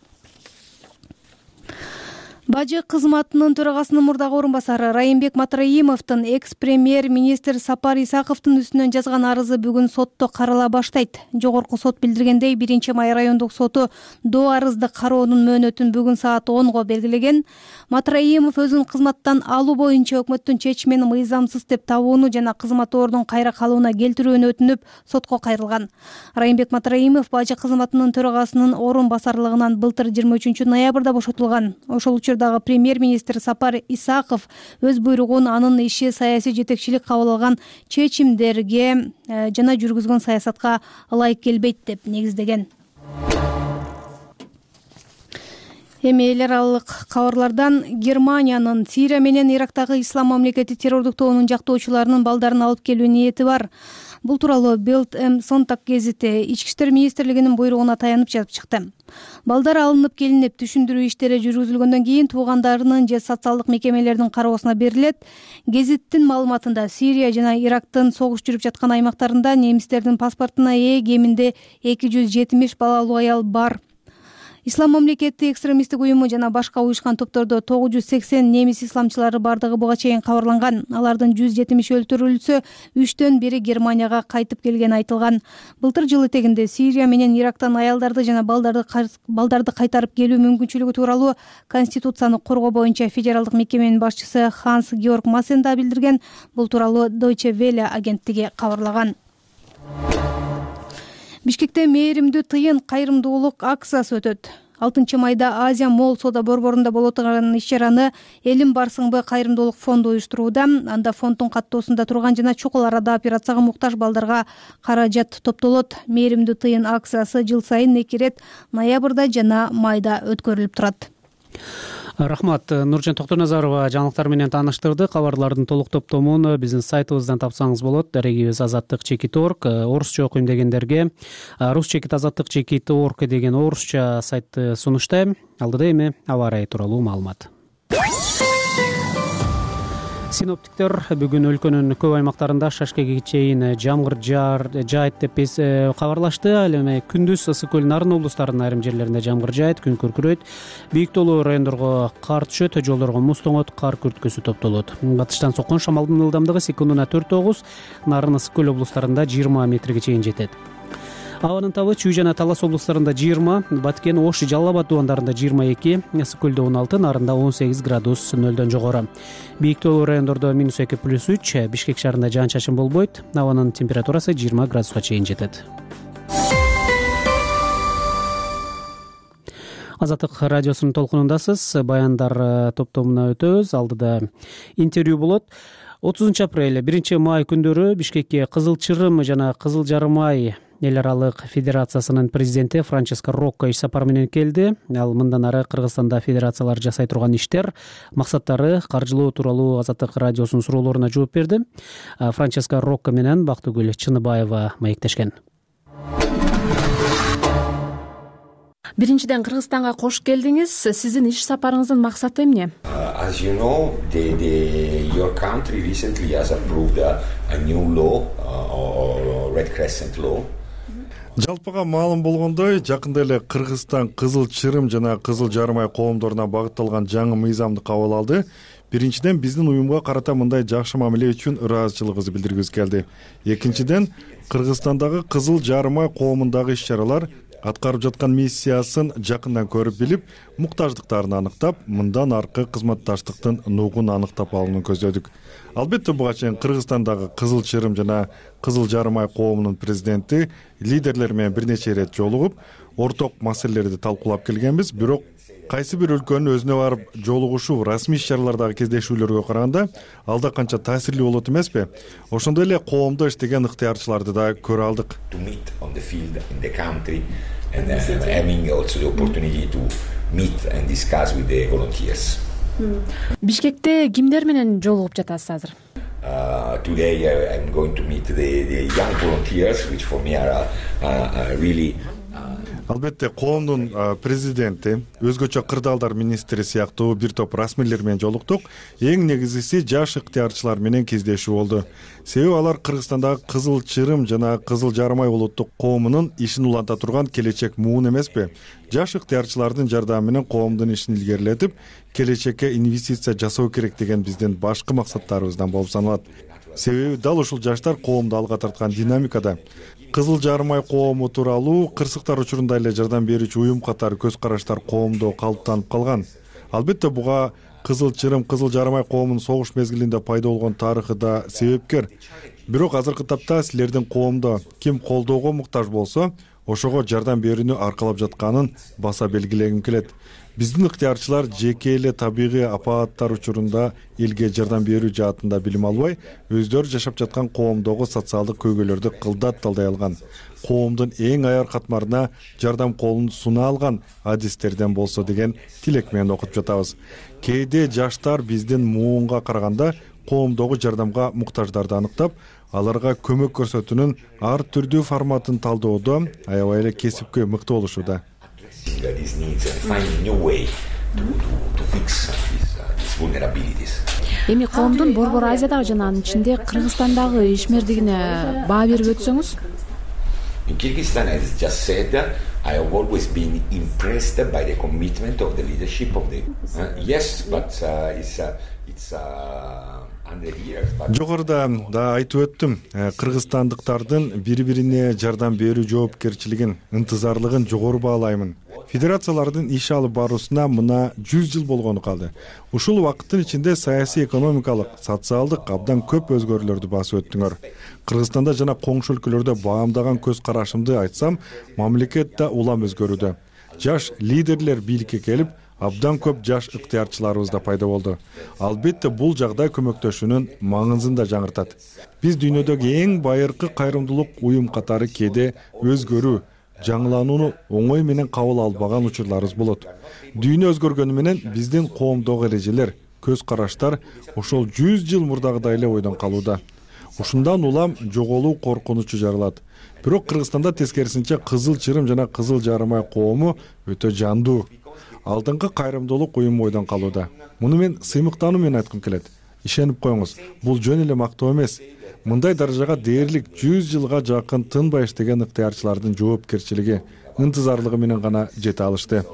Бажы кызматынын төрагасынын мурдагы орун басары Райымбек Матраимовдун экс-премьер-министр Сапар Исаковдун үстүнөн жазган арызы бүгүн сотто карала баштайт. Жогорку сот билдиргендей, 1 май райондук соту до арызды кароонун мөөнөтүн бүгүн саат 10го белгилеген. Матраимов өзүн кызматтан алуу боюнча өкмөттүн чечимин мыйзамсыз деп табууну жана кызматтоордун кайра калууна келтирүүнү өтүнүп, сотко кайрылган. Райымбек Матраимов бажы кызматынын төрагасынын орун басарлыгынан былтыр 23 ноябрда бошотулган. Ошол учурдагы премьер-министр Сапар Исаков өз буйругун анын иши саясий жетекчилик кабыл алган чечимдерге жана жүргүзгөн саясатка ылайык келбейт деп негиздеген. Эми эл аралык кабарлардан Германиянын Сирия менен Ирактагы Ислам мамлекети террордук тобунун жактоочуларынын балдарын алып келүү ниети бар. Бул тууралуу Bild am Sonntag гезити Ички иштер министрлигинин буйругуна таянып жазып чыкты. Балдар алынып келинип, түшүндүрүү иштери жүргүзүлгөндөн кийин туугандарынын же социалдык мекемелердин кароосуна берилет. Гезиттин маалыматында Сирия жана Ирактын согуш жүрүп жаткан аймактарында немистердин паспортуна ээ кеминде 270 балалуу аял бар. Ислам мамлекети экстремисттик уюму жана башка уюшкан топтордо 980 немис исламчылары бардыгы буга чейин кабарланган. Алардын 170 өлтүрүлсө, 3төн бири Германияга кайтып келгени айтылган. Былтыр жыл этегинде Сирия менен Ирактан аялдарды жана балдарды кайтарып келүү мүмкүнчүлүгү тууралуу Конституцияны коргоо боюнча федералдык мекеменин башчысы Ханс Георг Массенда билдирген. Бул тууралуу Deutsche Welle агенттиги кабарлаган. Бишкекте мээримдүү тыйын кайрымдуулук акциясы өтөт. 6-майда Азия Молл соода борборунда боло турган иш-чараны Элим барсыңбы кайрымдуулук фонду уюштурууда. Анда фонддун каттоосунда турган жана чокул арада операцияга муктаж балдарга каражат топтолот. Мээримдүү тыйын акциясы жыл сайын 2 ирет ноябрда жана майда өткөрүлүп турат. Рахмат. Нуржан Токтоназарова жаңылыктар менен тааныштырды. Кабарлардын толук топтомун биздин сайтыбыздан тапсаңыз болот. Дарегибиз azatlyk.org. Орусча окуйм дегендерге rusчекит.azatlyk.org деген орусча сайтты сунуштайм. Алдыда эми аба ырайы тууралуу маалымат. Синоптиктер бүгүн өлкөнүн көп аймактарында шашкеге чейин жамгыр жаайт деп кабарлашты. Ал эми күндүз ысык көл нарын облустарынын айрым жерлеринде жамгыр жаайт, күн күркүрөйт. Бийик тоолуу райондорго кар түшөт, жолдорго муз тоңот, кар күрткөсү топтолот. Батыштан соккон шамалдын ылдамдыгы секундуна 4-9, нарын ысык көл облустарында 20 метрге чейин жетет. Абанын табы Чүй жана Талас облустарында 20, Баткен, Ош, Жалал Абад дубандарында 22, ысык көлдө 16, нарында 18 градус нөлдөн жогору. Бийик тоолуу райондордо -2+3, Бишкек шаарында жаан-чачын болбойт. Абанын температурасы 20 градуска чейин жетет. Азаттык радиосунун толкунундасыз. Баяндар топтомуна өтөбүз. Алдыда интервью болот. 30 апрель, 1 май күндөрү Бишкекке Кызыл Чырым жана Кызыл Жарым ай эл аралык федерациясынын президенти Франческо Рокко иш сапар менен келди. Ал мындан ары Кыргызстанда федерациялар жасай турган иштер, максаттары, каржылоо тууралуу Азаттык радиосунун суроолоруна жооп берди. Франческо Рокко менен Бактыгүл Чыныбаева маектешкен. Биринчиден Кыргызстанга кош келдиңиз. Сиздин иш сапарыңыздын максаты эмне? As you know, your country recently has approved a new law, Red Crescent law. Жалпыга маалым болгондой, жакында эле Кыргызстан Кызыл Чырым жана Кызыл Жарым ай коомдоруна багытталган жаңы мыйзамды кабыл алды. Биринчиден биздин уюмга карата мындай жакшы мамиле үчүн ыраазычылыгыбызды билдиргибиз келди. Экинчиден Кыргызстандагы Кызыл Жарым ай коомундагы иш-чаралар аткарып жаткан миссиясын жакындан көрүп билип, муктаждыктарын аныктап, мындан аркы кызматташтыктын нугун аныктап алууну көздөдүк. Албетте буга чейин Кыргызстандагы Кызыл Чырым жана Кызыл Жарым ай коомунун президенти лидерлер менен бир нече ирет жолугуп, орток маселелерди талкуулап келгенбиз. Бирок кайсы бир өлкөнүн өзүнө барып жолугушуу, расмий иш-чаралардагы кездешүүлөргө караганда алда канча таасирлүү болот эмеспи? Ошондой эле коомдо иштеген ыктыярчыларды да көрө алдык. Бишкекте кимдер менен жолугуп жатасыз азыр? Today I'm going to meet the young volunteers, which for me are really Албетте коомдун президенти, өзгөчө кырдаалдар министри сыяктуу бир топ расмийлер менен жолуктук. Эң негизгиси жаш ыктыярчылар менен кездешүү болду. Себеби алар Кыргызстандагы Кызыл Чырым жана Кызыл Жарым ай улуттук коомунун ишин уланта турган келечек муун эмеспи? Жаш ыктыярчылардын жардамы менен коомдун ишин илгерилетип, келечекке инвестиция жасоо керек деген биздин башкы максаттарыбыздан болуп саналат. Себеби дал ушул жаштар коомду алга тарткан динамикада. Кызыл Жарым ай коому тууралуу кырсыктар учурунда эле жардам берүүчү уюм катары көз караштар коомдо калыптанып калган. Албетте буга Кызыл Чырым, Кызыл Жарым ай коомунун согуш мезгилинде пайда болгон тарыхы да себепкер. Бирок азыркы тапта силердин коомдо ким колдоого муктаж болсо, ошого жардам берүүнү аркалап жатканын баса белгилегим келет. Биздин ыктыярчылар жеке эле табигый апааттар учурунда элге жардам берүү жаатында билим албай, өздөрү жашап жаткан коомдогу социалдык көйгөйлөрдү кылдат талдай алган. Коомдун эң аяр катмарына жардам колун суна алган адистерден болсо деген тилек менен окуп жатабыз. Кээде жаштар биздин муунга караганда коомдогу жардамга муктаждарды аныктап, аларга көмөк көрсөтүүнүн ар түрдүү форматын талдоодо аябай эле кесипкөй мыкты болушууда. Эми коомдун Борбор Азиядагы жана анын ичинде Кыргызстандагы ишмердигине баа берип өтсөңүз? In Kyrgyzstan, as just said, I have always been impressed by the commitment of the leadership of the. Yes, but it's 100 years. Жогоруда да айтып өттүм, кыргызстандыктардын бири-бирине жардам берүү жоопкерчилигин, ынтызарлыгын жогору баалаймын. Федерациялардын иш алып баруусуна мына 100 жыл болгону калды. Ушул убакыттын ичинде саясий, экономикалык, социалдык абдан көп өзгөрүүлөрдү басып өттүңөр. Кыргызстанда жана коңшу өлкөлөрдө баамдаган көз карашымды айтсам, мамлекет да улам өзгөрүүдө. Жаш лидерлер бийликке келип, абдан көп жаш ыктыярчыларыбыз да пайда болду. Албетте бул жагдай көмөктөшүүнүн маңызын да жаңыртат. Биз дүйнөдөгү эң байыркы кайрымдуулук уюм катары кээде өзгөрүү, жаңыланууну оңой менен кабыл албаган учурларыбыз болот. Дүйнө өзгөргөнү менен биздин коомдогу эрежелер, көз караштар ошол 100 жыл мурдагыдай эле ойдон калууда. Ушундан улам жоголуу коркунучу жаралат. Бирок Кыргызстанда тескерисинче Кызыл Чырым жана Кызыл Жарымай коому өтө жандуу. Алдыңкы кайрымдуулук уюму ойдон калууда. Муну мен сыймыктануу менен айткым келет. Ишенип коюңуз, бул жөн эле мактоо эмес. Мындай даражага дээрлик 100 жылга жакын тынбай иштеген ыктыярчылардын жоопкерчилиги, ынтызарлыгы менен гана жете алышты.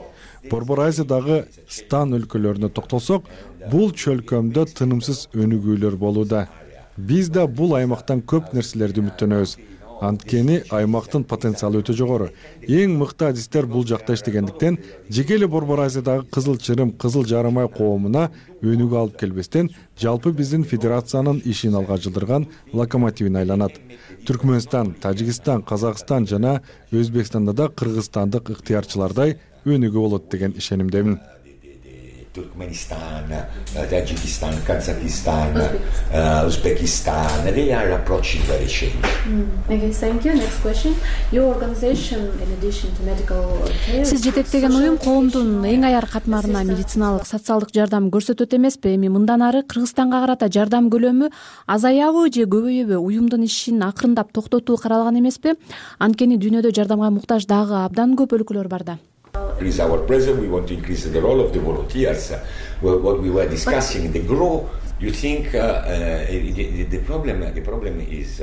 Борбор Азиядагы стан өлкөлөрүнө токтолсок, бул чөлкөмдө тынымсыз өнүгүүлөр болууда. Биз да бул аймактан көп нерселерди үмүттөнөбүз. Анткени аймактын потенциалы өтө жогору. Эң мыкты адистер бул жакта иштегендиктен, жеке эле Борбор Азиядагы Кызыл Чырым, Кызыл Жарымай коомуна өнүгүү алып келбестен, жалпы биздин федерациянын ишин алга жылдырган локомотивине айланат. Түркмөнстан, Тажикстан, Казакстан жана Өзбекстанда да кыргызстандык ыктыярчылардай өнүгүү болот деген ишенимдемин. Turkmenistan, Tajikistan, Kazakhstan, Uzbekistan, they are approaching very change. Okay, thank you. Next question. Your organization, in addition to medical care... Сиз жетектеген уюм коомдун эң аяр катмарына медициналык, социалдык жардам көрсөтөт эмеспи? Эми мындан ары Кыргызстанга карата жардам көлөмү азаябы же көбөйөбү? Уюмдун ишин акырындап токтотуу каралган эмеспи? Анткени дүйнөдө жардамга муктаж дагы абдан көп өлкөлөр бар да. Increase our presence. We want to increase the role of the volunteers. What we were discussing, the growth. You think the problem is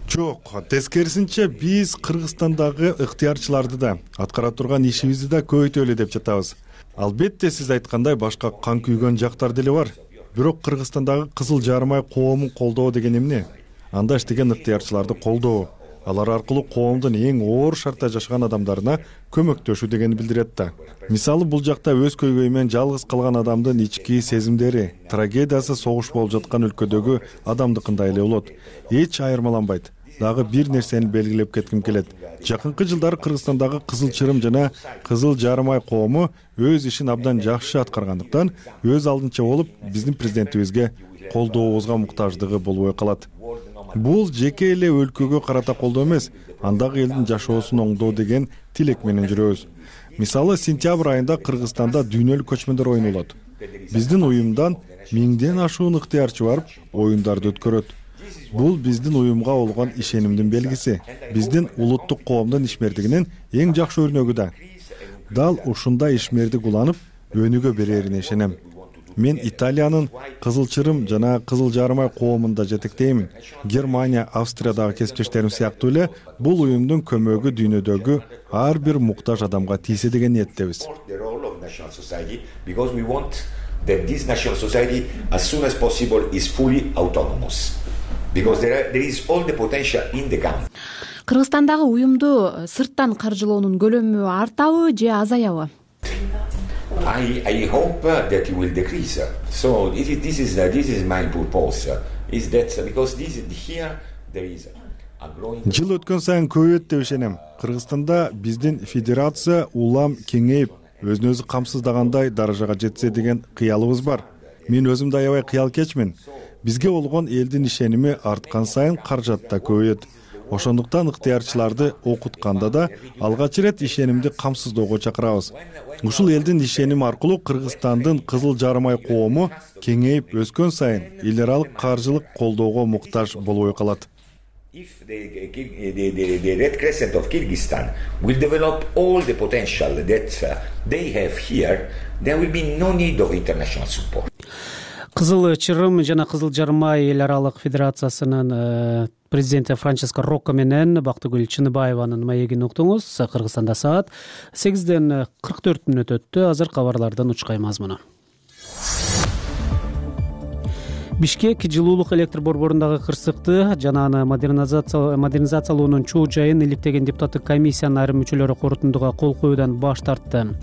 Жок, тескерисинче биз Кыргызстандагы ыктыярчыларды да, аткара турган ишибизди да көбөйтөлү деп жатабыз. Албетте сиз айткандай башка кан күйгөн жактар деле бар. Бирок Кыргызстандагы Кызыл Жарымай коомун колдоо деген эмне? Анда иштеген ыктыярчыларды колдоо. Алар аркылуу коомдун эң оор шартта жашаган адамдарына көмөктөшүү дегенди билдирет да. Мисалы бул жакта өз көйгөйү менен жалгыз калган адамдын ички сезимдери, трагедиясы согуш болуп жаткан өлкөдөгү адамдыкындай эле болот. Эч айырмаланбайт. Дагы бир нерсени белгилеп кетким келет. Жакынкы жылдары Кыргызстандагы Кызыл Чырым жана Кызыл Жарымай коому өз ишин абдан жакшы аткаргандыктан, өз алдынча болуп, биздин президентибизге колдообузга муктаждыгы болбой калат. Бул жеке эле өлкөгө карата колдоо эмес, андагы элдин жашоосун оңдоо деген тилек менен жүрөбүз. Мисалы, сентябрь айында Кыргызстанда дүйнөлүк көчмөндөр оюну болот. Биздин уюмдан 1000ден ашуун ыктыярчы барып, оюндарды өткөрөт. Бул биздин уюмга болгон ишенимдин белгиси. Биздин улуттук коомдун ишмердигинин эң жакшы өрнөгү да. Дал ушундай ишмердик уланып, өнүгө берерине ишенем. Мен Италиянын Кызыл Чырым жана Кызыл Жарымай коомунда жетектеймин. Германия, Австриядагы кесиптештерим сыяктуу эле бул уюмдун көмөгү дүйнөдөгү ар бир муктаж адамга тийсе деген ниеттебиз. Because we want that this national society as soon as possible is fully autonomous. Because there is all the potential in the country. Кыргызстандагы уюмду сырттан каржылоонун көлөмү артабы же азаябы? I hope that it will decrease. So this is my purpose. Is that because here there is a growing. Жыл өткөн сайын көбөйөт деп ишенем. Кыргызстанда биздин федерация улам кеңейип, өзүн өзү камсыздагандай даражага жетсе деген кыялыбыз бар. Мен өзүм да аябай кыялкечмин. Бизге болгон элдин ишеними арткан сайын каражат да көбөйөт. Ошондуктан ыктыярчыларды окутканда да алгач ирет ишенимди камсыздоого чакырабыз. Ушул элдин ишеними аркылуу Кыргызстандын Кызыл Жарымай коому кеңейип өскөн сайын эл аралык каржылык колдоого муктаж болбой калат. If the Red Crescent of Kyrgyzstan will develop all the potential that they have here, there will be no need of international support. Кызыл Чырым жана Кызыл Жармай эл аралык федерациясынын президенти Франческо Рокко менен Бактыгүл Чыныбаеванын маегин уктуңуз. Кыргызстанда саат 8:44 өттү. Азыр кабарлардын учкай мазмуну. Бишкек жылуулук электр борборундагы кырсыкты жана аны модернизациялоонун чоо жайын иликтеген депутаттык комиссиянын айрым мүчөлөрү корутундуга кол коюудан баш тартты.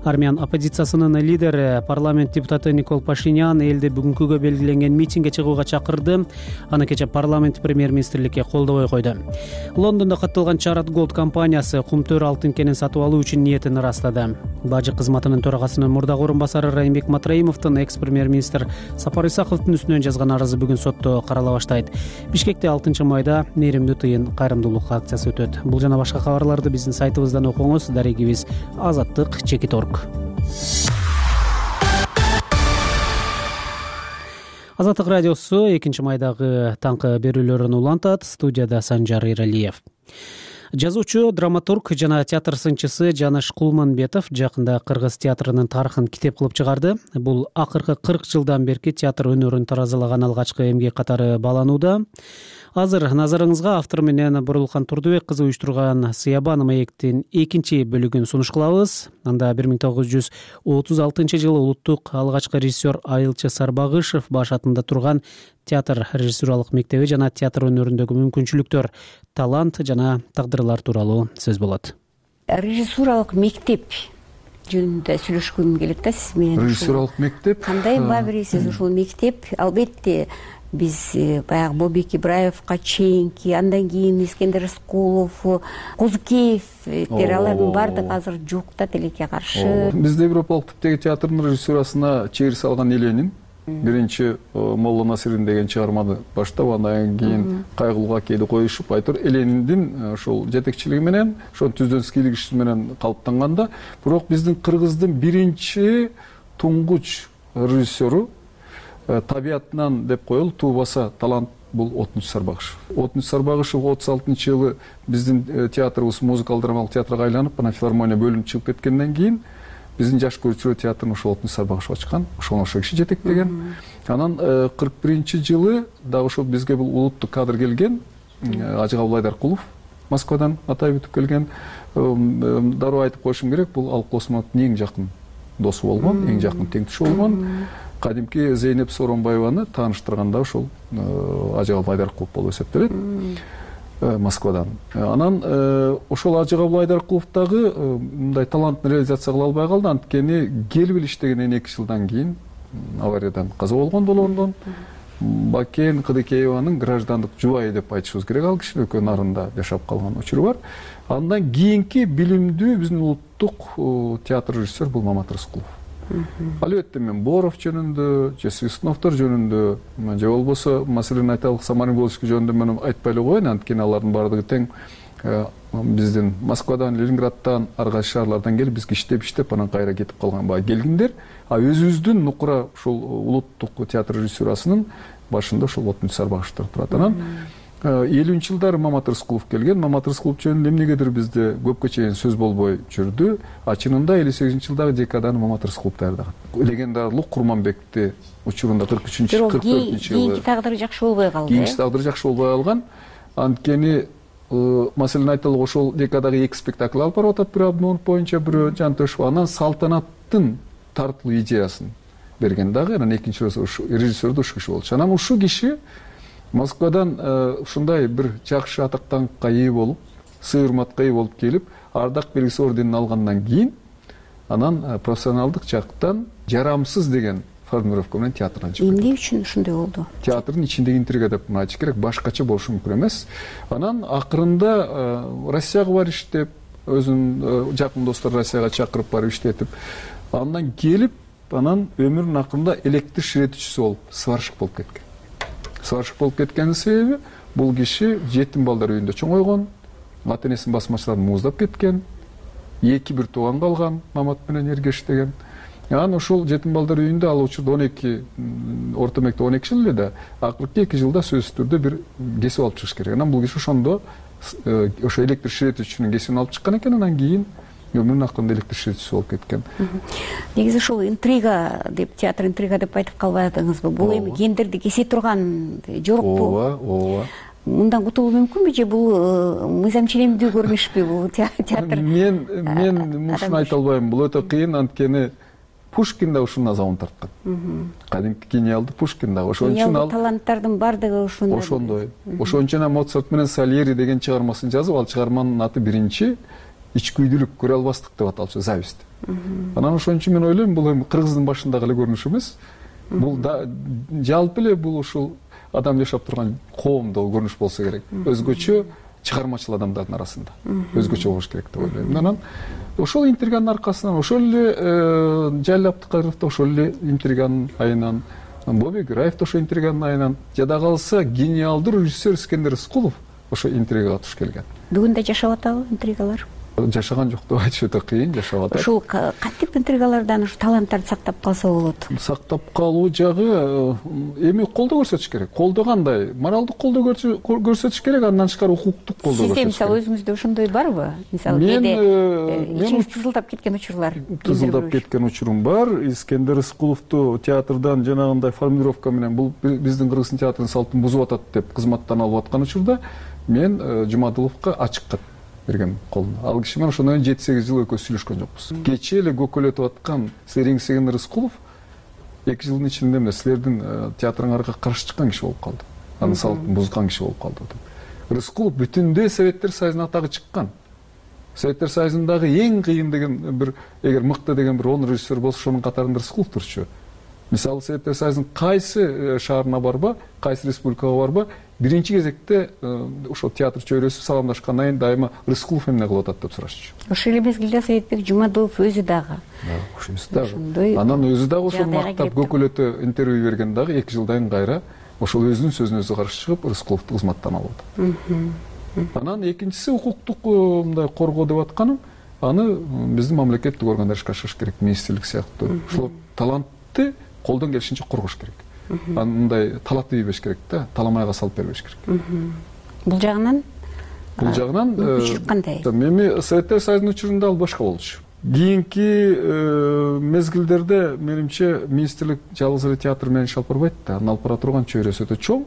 Армян оппозициясынын лидери парламент депутаты Никол Пашинян элди бүгүнкүгө белгиленген митингге чыгууга чакырды. Аны кечээ парламент премьер-министрликке колдобой койду. Лондондо катталган Чарат Голд компаниясы кумтөр алтын кенин сатып алуу үчүн ниетин ырастады. Бажы кызматынын төрагасынын мурдагы орун басары Райымбек Матраимовдун экс-премьер-министр Сапар Исаковдун үстүнөн жазган арызы бүгүн сотто карала баштайт. Бишкекте 6 майда мээримдүү тыйын кайрымдуулук акциясы өтөт. Бул жана башка кабарларды биздин сайтыбыздан окуңуз. Дарегибиз Азаттык.org. Азаттык радиосу 2 майдагы таңкы берүүлөрүн улантат. Студияда Санжар Иралиев. Жазуучу, драматург жана театр сынчысы Жаныш Кулманбетов жакында кыргыз театрынын тарыхын китеп кылып чыгарды. Бул акыркы 40 жылдан берки театр өнөрүн таразалаган алгачкы эмгек катары бааланууда. Азыр назарыңызга автор менен Бурулхан Турдубек кызы уюштурган Сыябан маектин 2 бөлүгүн сунуш кылабыз. Анда 1936 жылы улуттук алгачкы режиссер Айылчы Сарбагышев баш атында турган театр режиссуралык мектеби жана театр өнөрүндөгү мүмкүнчүлүктөр, талант жана тагдырлар тууралуу сөз болот. Режиссуралык мектеп жөнүндө сүйлөшкүм келет да сиз менен. Режиссуралык мектеп кандай баа бересиз ушул мектеп? Албетте биз баягы Бобек Ибраевка чейинки, андан кийин Искендер Рыскулов, Кузукеевтер, алардын баардыгы азыр жок да тилекке каршы. Бизде европалык типтеги театрдын режиссурасына чегир салган Эленин биринчи Молла Насырин деген чыгарманы баштап, андан кийин Кайгылууга кейди коюшуп, айтор Элениндин ошол жетекчилиги менен, ошонун түздөн кишиси менен калыптанганда, бирок биздин Кыргыздын биринчи туңгуч режиссеру табиятынан деп коелу туубаса талант бул Отмуч Сарбагышев. Отмуч Сарбагышев 36-жылы биздин театрыбыз музыкалык драмалык театрга айланып, анан филармония бөлүнүп чыгып кеткенден кийин биздин жаш көрүүчүлөр театрын ошол Отмуч Сарбагышев ачкан, ошол киши жетектеген. Анан 41-жылы дагы ошол бизге бул улуттук кадр келген, Ажыгабыл Айдаркулов Москвадан атайып өтүп келген. Дароо айтып коюшум керек, бул Алык Осмоновдун эң жакын досу болгон, эң жакын теңдеши болгон. Кадимки Зейнеп Сооронбаеваны тааныштырганда ошол Ажыгабыл Айдаркулов болуп эсептелет Москвадан. Анан ошол Ажыгабыл Айдаркулов дагы мындай талантын реализация кыла албай калды, анткени келип иштегенден 2 жылдан кийин авариядан каза болгон Лондон. Бакен Кыдыкееванын граждандык жубайы деп айтышыбыз керек, ал киши экөө нарында жашап калган учуру бар. Андан кийинки билимдүү биздин улуттук театр режиссер бул Мамат Рыскулов. Албетте мен Боров жөнүндө, же Свистуновдор жөнүндө, же болбосо маселен айталык Самарин Волжский жөнүндө мен айтпай эле коеюн, анткени алардын баардыгы тең биздин Москвадан, Ленинградтан, ар кайсы шаарлардан келип бизге иштеп анан кайра кетип калган баа келгиндер. Өзүбүздүн нукура ушул улуттук театр режиссурасынын башында ошол Отмуч Сарбагышев турат. Анан 50-жылдары Мамат Рыскулов келген. Мамат Рыскулов жөнүндө эмнегедир бизде көпкө чейин сөз болбой жүрдү. Чынында 58-жылдагы декаданы Мамат Рыскулов даярдаган. Легендарлык Курманбекти учурунда 43-44-жылы. Кийинки тагдыры жакшы болбой калды. Кийинки тагдыры жакшы болбой калган. Анткени маселен айталык ошол декадагы 2 спектакль алып барып атат, бирөө Абдмомунов боюнча, бирөө Жантөшев. Анан салтанаттын тартылуу идеясын берген дагы, анан экинчи режиссер да ушул киши болчу. Анан ушул киши Москвадан ушундай бир жакшы атактаныкка ээ болуп, сый урматка ээ болуп келип, ардак белгиси орденин алгандан кийин анан профессионалдык жактан жарамсыз деген формулировка менен театрдан чыгып. Эмне үчүн ушундай болду? Театрдын ичиндеги интрига деп айтыш керек, башкача болушу мүмкүн эмес. Анан акырында Россияга барып иштеп, өзүнүн жакын достору Россияга чакырып барып иштетип, андан келип, анан өмүрүнүн акырында электр ширетүүчүсү болуп, сварщик болуп кеткен. Сварщик болуп кеткенин себеби бул киши жетим балдар үйүндө чоңойгон, ата энесинин басмачыларын мууздап кеткен, 2 тууган калган, Мамат менен эргеш деген. Анан ошол жетим балдар үйүндө ал учурда 12 орто мектеп 12 жыл эле да, акыркы 2 жылда сөзсүз түрдө бир кесип алып чыгыш керек. Анан бул киши ошондо ошо электр ширетүүчүнүн кесибин алып чыккан экен, анан кийин өмүрүнүн акырында электричествочусу болуп кеткен. Негизи ушул интрига деп, театр интрига деп айтып калбай атыңызбы? Бул эми гендерди кесе турган жорукпу? Ооба. Мындан кутулуу мүмкүнбү же бул мыйзам ченемдүү көрүнүшпү бул театр? Мен ушуну айта албайм. Бул өтө кыйын, анткени Пушкин да ушунун азабын тарткан. Кадимки гениалдуу Пушкин да. Ошон үчүн ал таланттардын бардыгы ошондой. Ошон үчүн Моцарт менен Сальери деген чыгармасын жазып, ал чыгарманын аты биринчи ичкүйдүүлүк, көрө албастык деп аталчу, зависть. Анан ошон үчүн мен ойлойм, бул эми кыргыздын башындагы эле көрүнүш эмес. Бул жалпы эле бул ушул адам жашап турган коомдо көрүнүш болсо керек. Өзгөчө чыгармачыл адамдардын арасында. Өзгөчө болуш керек деп ойлойм. Анан ошол интриганын аркасынан, ошол эле Жалил Абдыкадыров ошол эле интриганын айынан, Бобий Гураев ошо интриганын айынан, жада калса гениалдуу режиссер Искендер Рыскулов ошо интригага туш келген. Бүгүн да жашап атабы интригалар? Жашаган жок деп айтыш өтө кыйын, жашап атат. Ушул кантип интригалардан ушу таланттарды сактап калса болот? Сактап калуу жагы эми колдоо көрсөтүш керек. Колдоо кандай? Моралдык колдоо көрсөтүш керек, андан тышкары укуктук колдоо көрсөтүш керек. Сизде мисалы өзүңүздө ошондой барбы? Мисалы кээде ичиңиз тызылдап кеткен учурлар? Тызылдап кеткен учурум бар. Искендер Рыскуловду театрдан жанагындай формулировка менен бул биздин кыргыз театрынын салтын бузуп атат деп кызматтан алып аткан учурда мен Жумадыловго ачык кат берген колуна. Ал киши менен ошондон 7-8 жыл экөөбүз сүйлөшкөн жокпуз. Кечээ эле көкөлөтүп аткан силер Искендер Рыскулов 2 жылдын ичинде эмне силердин театрыңарга каршы чыккан киши болуп калды. Анын салтын бузган киши болуп калды. Рыскулов бүтүндөй Советтер Союзунун атагы чыккан. Советтер Союзундагы эң кыйын деген бир, эгер мыкты деген бир 10 режиссер болсо, ошонун катарында Рыскулов турчу. Мисалы Советтер Союзунун кайсы шаарына барба, кайсы республикага барба, биринчи кезекте ошол театр чөйрөсү саламдашкандан кийин дайыма Рыскулов эмне кылып атат деп сурашчу. Ошол эле мезгилде Советбек Жумадылов өзү дагы. Анан өзү дагы ошол мактап көкөлөтө интервью берген дагы 2 жылдан кайра ошол өзүнүн сөзүнө өзү каршы чыгып Рыскуловду кызматтан алып атат. Анан экинчиси укуктук мындай коргоо деп атканым, аны биздин мамлекеттик органдар ишке ашырыш керек, министрлик сыяктуу. Ошол талантты колдон келишинче коргош керек. Мындай талапты ийбеш керек да, таламайга салып бербеш керек. Бул жагынан мүмкүнчүлүк кандай? Эми Советтер Союзунун учурунда ал башка болчу. Кийинки мезгилдерде менимче министрлик жалгыз эле театр менен иш алып барбайт да, анын алып бара турган чөйрөсү өтө чоң.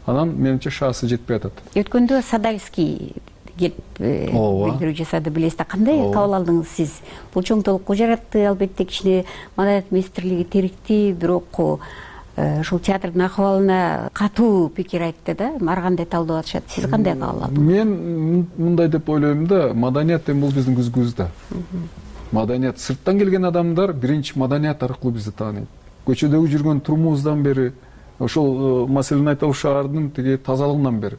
Анан менимче шаасы жетпей атат. Өткөндө Садальский келип билдирүү жасады, билесиз да, кандай кабыл алдыңыз сиз? Бул чоңдулукку жаратты, албетте кичине маданият министрлиги терикти, бирок ушул театрдын акыбалына катуу пикир айтты да, ар кандай талдоо атышат. Сиз кандай кабыл алдыңыз? Мен мындай деп ойлойм да, маданият эми бул биздин күзүбүздө. Маданият сырттан келген адамдар биринчи маданият аркылуу бизди тааныйт. Көчөдөгү жүргөн турумубуздан бери, ошол маселени айталы шаардын тиги тазалыгынан бери.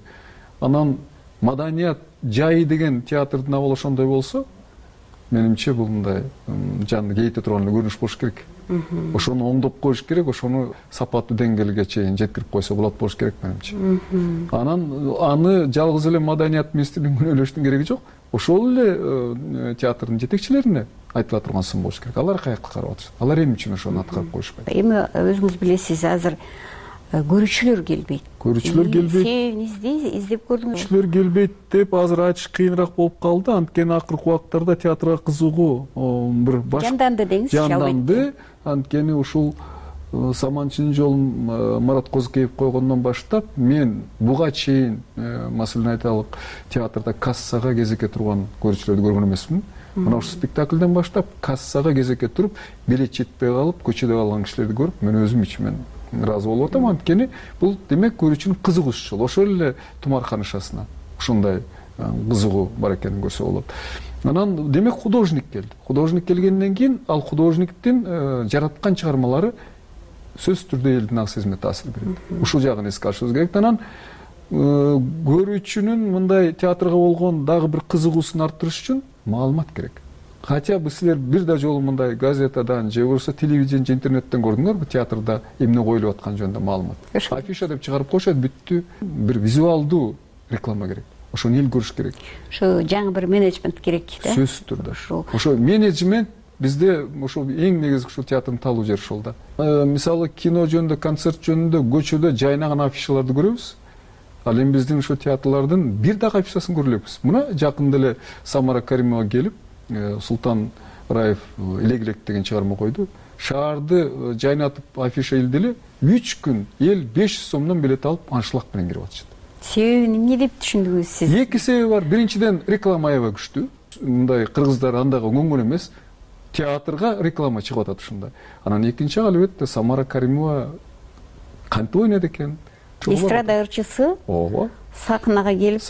Анан маданият жайы деген театрдын абалы ошондой болсо, менимче бул мындай жанды кейите турган көрүнүш болуш керек. Ошону оңдоп коюш керек, ошону сапаттуу деңгээлге чейин жеткирип койсо болот болуш керек менимче. Анан аны жалгыз эле маданият министрлигинин күнөөлөштүн кереги жок. Ошол эле театрдын жетекчилерине айтыла турган сын болуш керек. Алар каякка карап атышат? Алар эмне үчүн ошону аткарып коюшпайт? Эми өзүңүз билесиз, азыр көрүүчүлөр келбейт. Көрүүчүлөр келбейт. Себебин издеп көрдүңүз? Көрүүчүлөр келбейт деп азыр айтыш кыйыныраак болуп калды. Анткени акыркы убактарда театрга кызыгуу бир жанданды деңизчи, жанданды. Анткени ушул Саманчынын жолун Марат Козукеев койгондон баштап мен буга чейин маселени айталык театрда кассага кезекке турган көрүүчүлөрдү көргөн эмесмин. Мына ушул спектакльден баштап кассага кезекке туруп, билет жетпей калып, көчөдө калган кишилерди көрүп, мен өзүм ичимен ыраазы болуп атам. Анткени бул демек көрүүчүнүн кызыгуусу жол. Ошол эле Тумархан ишасына ушундай кызыгуу бар экенин көрсө болот. Анан демек художник келди. Художник келгенден кийин ал художниктин жараткан чыгармалары сөзсүз түрдө элдин ак сезимине таасир берет. Ушул жагын эске алышыбыз керек. Анан көрүүчүнүн мындай театрга болгон дагы бир кызыгуусун арттырыш үчүн маалымат керек. Хотя бы силер бир да жолу мындай газетадан же болбосо телевидение же интернеттен көрдүңөрбү театрда эмне коюлуп атканы жөнүндө маалымат? Афиша деп чыгарып коюшат, бүттү. Бир визуалдуу реклама керек. Ошону эл көрүш керек. Ошо жаңы бир менеджмент керек да? Сөзсүз түрдө. Ошо менеджмент бизде ошол эң негизги ушул театрдын талуу жери ошол да. Мисалы кино жөнүндө, концерт жөнүндө көчөдө жайнаган афишаларды көрөбүз. Ал эми биздин ошо театрлардын бир дагы афишасын көрө элекпиз. Мына жакында эле Самара Каримова келип, Султан Раев элек деген чыгарма койду. Шаарды жайнатып афиша илди эле 3 күн эл 500 сомдон билет алып аншлаг менен кирип атышат. Себеби эмне деп түшүндүңүз сиз? Эки себеби бар. Биринчиден реклама аябай күчтүү. Мындай кыргыздар андайга оңгон эмес. Театрга реклама чыгып атат ушундай. Анан экинчи албетте Самара Каримова кантип ойнойт экен? Эстрада ырчысы. Ооба. Сахнага келип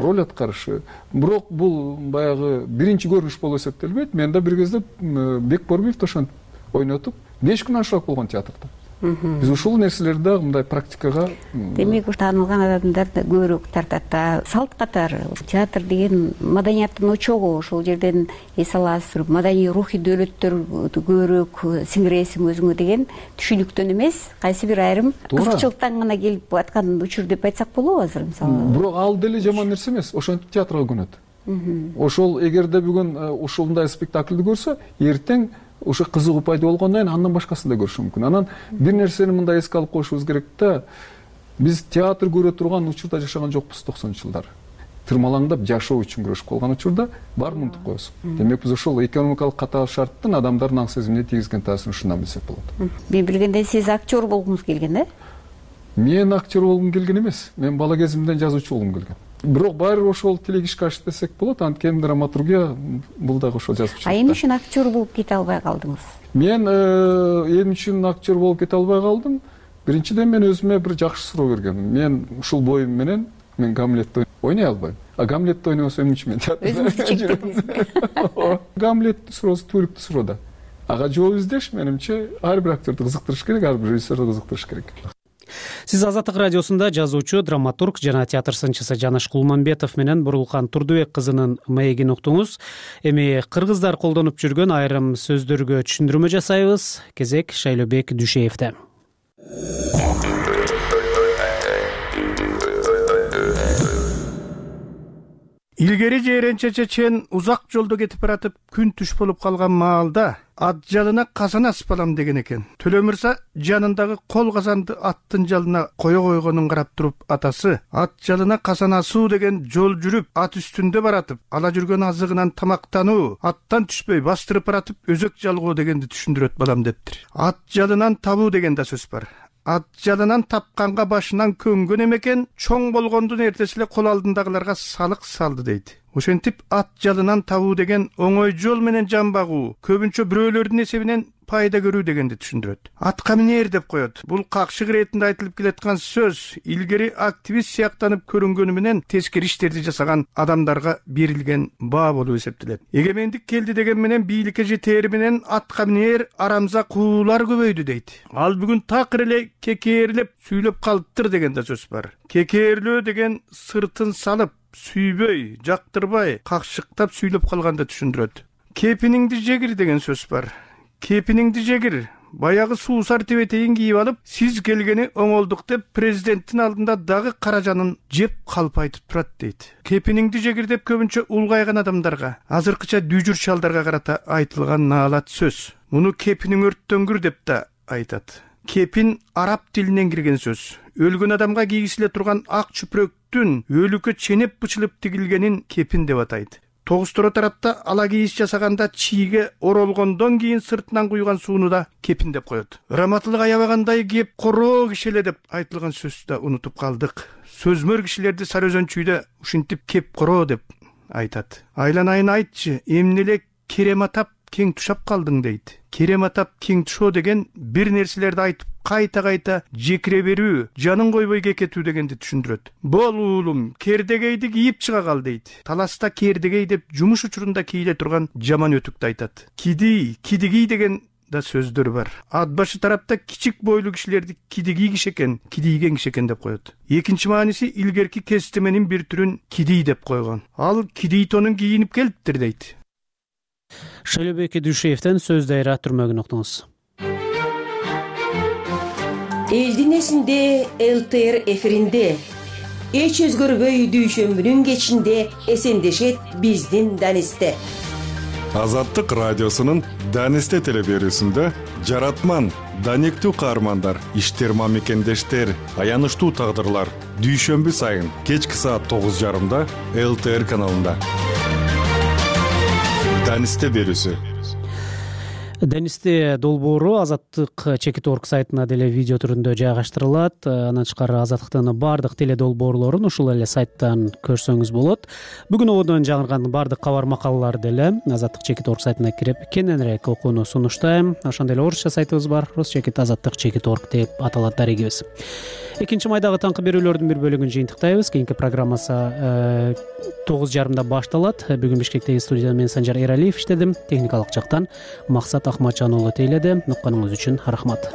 роль аткарышы. Бирок бул баягы биринчи көрүнүш болуп эсептелбейт. Мен да бир кезде Бекборбиев ошентип ойнотуп 5 күн аншлаг болгон театрда. Биз ушул нерселерди дагы мындай практикага. Демек таанылган адамдар да көбүрөөк тартат. Салт катары театр деген маданияттын очогу, ошол жерден эс аласыз, маданий рухий дөөлөттөр көбүрөөк сиңиресиң өзүңө деген түшүнүктөн эмес, кайсы бир айрым кызыкчылыктан гана келип аткан учур деп айтсак болобу азыр мисалы? Бирок ал деле жаман нерсе эмес, ошентип театрга көнөт. Ошол эгерде бүгүн ушундай спектакльди көрсө, эртең ошо кызыгуу пайда болгондон кийин андан башкасын да көрүшү мүмкүн. Анан бир нерсени мындай эске алып коюшубуз керек да. Биз театр көрө турган учурда жашаган жокпуз 90-жылдары. Тырмалаңдап жашоо үчүн күрөшүп калган учурда баарын унутуп коесуң. Демек биз ошол экономикалык катаал шарттын адамдардын аң сезимине тийгизген таасирин ушундан билсек болот. Мен билгенде сиз актер болгуңуз келген, Мен актер болгум келген эмес. Мен бала кезимден жазуучу болгум келген. Бирок баары ошол тилек ишке ашты десек болот. Анткени драматургия бул дагы ошол жазуучулук. Эмне үчүн актер болуп кете албай калдыңыз? Мен эмне үчүн актер болуп кете албай калдым? Биринчиден мен өзүмө бир жакшы суроо бергем. Мен ушул боюм менен мен Гамлетти ойной албайм. Гамлетти ойнобосо эмне үчүн мен театрда? Өзүңүздү чектедиңизби? Гамлеттин суроосу түбөлүктүү суроо да. Ага жооп издеш менимче ар бир актерди кызыктырыш керек, ар бир режиссерди кызыктырыш керек. Сиз Азаттык радиосунда жазуучу, драматург жана театр сынчысы Жаныш Кулманбетов менен Бурулкан Турдубек кызынын маегин уктуңуз. Эми кыргыздар колдонуп жүргөн айрым сөздөргө түшүндүрмө жасайбыз. Кезек Шайлообек Дүшеевде. Илгери жээренче чечен узак жолдо кетип баратып күн түш болуп калган маалда ат жалына казан асып алам деген экен. Төлө мырза жанындагы кол казанды аттын жалына кое койгонун карап туруп атасы ат жалына казан асуу деген жол жүрүп ат үстүндө баратып ала жүргөн азыгынан тамактануу, аттан түшпөй бастырып баратып өзөк жалгоо дегенди түшүндүрөт балам дептир. Ат жалынан табуу деген да сөз бар. Ат жалынан тапканга башынан көнгөн эмекен, чоң болгондун эртеси эле кол алдындагыларга салык салды дейт. Ошентип ат жалынан табуу деген оңой жол менен жан багуу, көбүнчө бирөөлөрдүн эсебинен пайда көрүү дегенди түшүндүрөт. Атка минер деп коет. Бул какшык иретинде айтылып келаткан сөз илгери активист сыяктанып көрүнгөнү менен тескери иштерди жасаган адамдарга берилген баа болуп эсептелет. Эгемендик келди деген менен бийликке жетери менен атка минер арамза куулар көбөйдү дейт. Ал бүгүн такыр эле кекээрлеп сүйлөп калыптыр деген да сөз бар. Кекээрлөө деген сыртын салып, сүйбөй, жактырбай, какшыктап сүйлөп калганды түшүндүрөт. Кепиниңди жегир деген сөз бар. Кепиниңди жегир. Баягы суусар тебетейин кийип алып, сиз келгени оңолдук деп президенттин алдында дагы каражанын жеп калп айтып турат дейт. Кепиниңди жегир деп көбүнчө улгайган адамдарга, азыркыча дүйжүр чалдарга карата айтылган наалат сөз. Муну кепиниң өрттөнгүр деп да айтат. Кепин араб тилинен кирген сөз. Өлгөн адамга кийгизиле турган ак чүпүрөктүн өлүккө ченеп бычылып тигилгенин кепин деп атайт. Тогусторо тарапта ала кийиз жасаганда чийге оролгондон кийин сыртынан куйган сууну да кепин деп коет. Ыраматылык аябагандай кеп короо кишеле деп айтылган сөздү да унутуп калдык. Сөзмөр кишилерди Сары Өзөн чүйдө ушинтип кеп короо деп айтат. Айланайын айтчы, эмне эле керем атап кең тушап калдың дейт. Керем атап кең тушоо деген бир нерселерди айтып кайта жекире берүү, жанын койбой кекетүү дегенди түшүндүрөт. Бол уулум, кердегейди кийип чыга кал дейт. Таласта кердегей деп жумуш учурунда кийиле турган жаман өтүктү айтат. Кидигий деген да сөздөр бар. Ат башы тарапта кичик бойлуу кишилерди кидигий киши экен, кидийген киши экен деп коет. Экинчи мааниси илгерки кестеменин бир түрүн кидий деп койгон. Ал кидий тонун кийинип келиптир дейт. Шайлообек Дүшеевден сөз дайра түрмөгүн уктуңуз. Элдин эсинде ЛТР эфиринде эч өзгөрбөй дүйшөмбүнүн кечинде эсендешет биздин Данисте. Азаттык радиосунун Данисте телеберүүсүндө жаратман, даниктүү каармандар, иштер мамекендештер, аянычтуу тагдырлар дүйшөмбү сайын кечки саат 9:30 ЛТР каналында. Данисте берүүсү. Данисте долбоору Азаттык Чекит.org сайтына деле видео түрүндө жайгаштырылат. Андан тышкары Азаттыктын баардык теле долбоорлорун ушул эле сайттан көрсөңүз болот. Бүгүн ободон жаңырган баардык кабар макалалар деле Азаттык Чекит.org сайтына кирип кененирээк окууну сунуштайм. Ошондой эле орусча сайтыбыз бар. Русчекит Азаттык Чекит.org деп аталат дарегибиз. 2-майдагы таңкы берүүлөрдүн бир бөлүгүн жыйынтыктайбыз. Кийинки программасы 9:30 башталат. Бүгүн Бишкектеги студияда мен Санжар Эралиев иштедим. Техникалык жактан Максат Ахматжан уулу тейледи. Укканыңыз үчүн рахмат.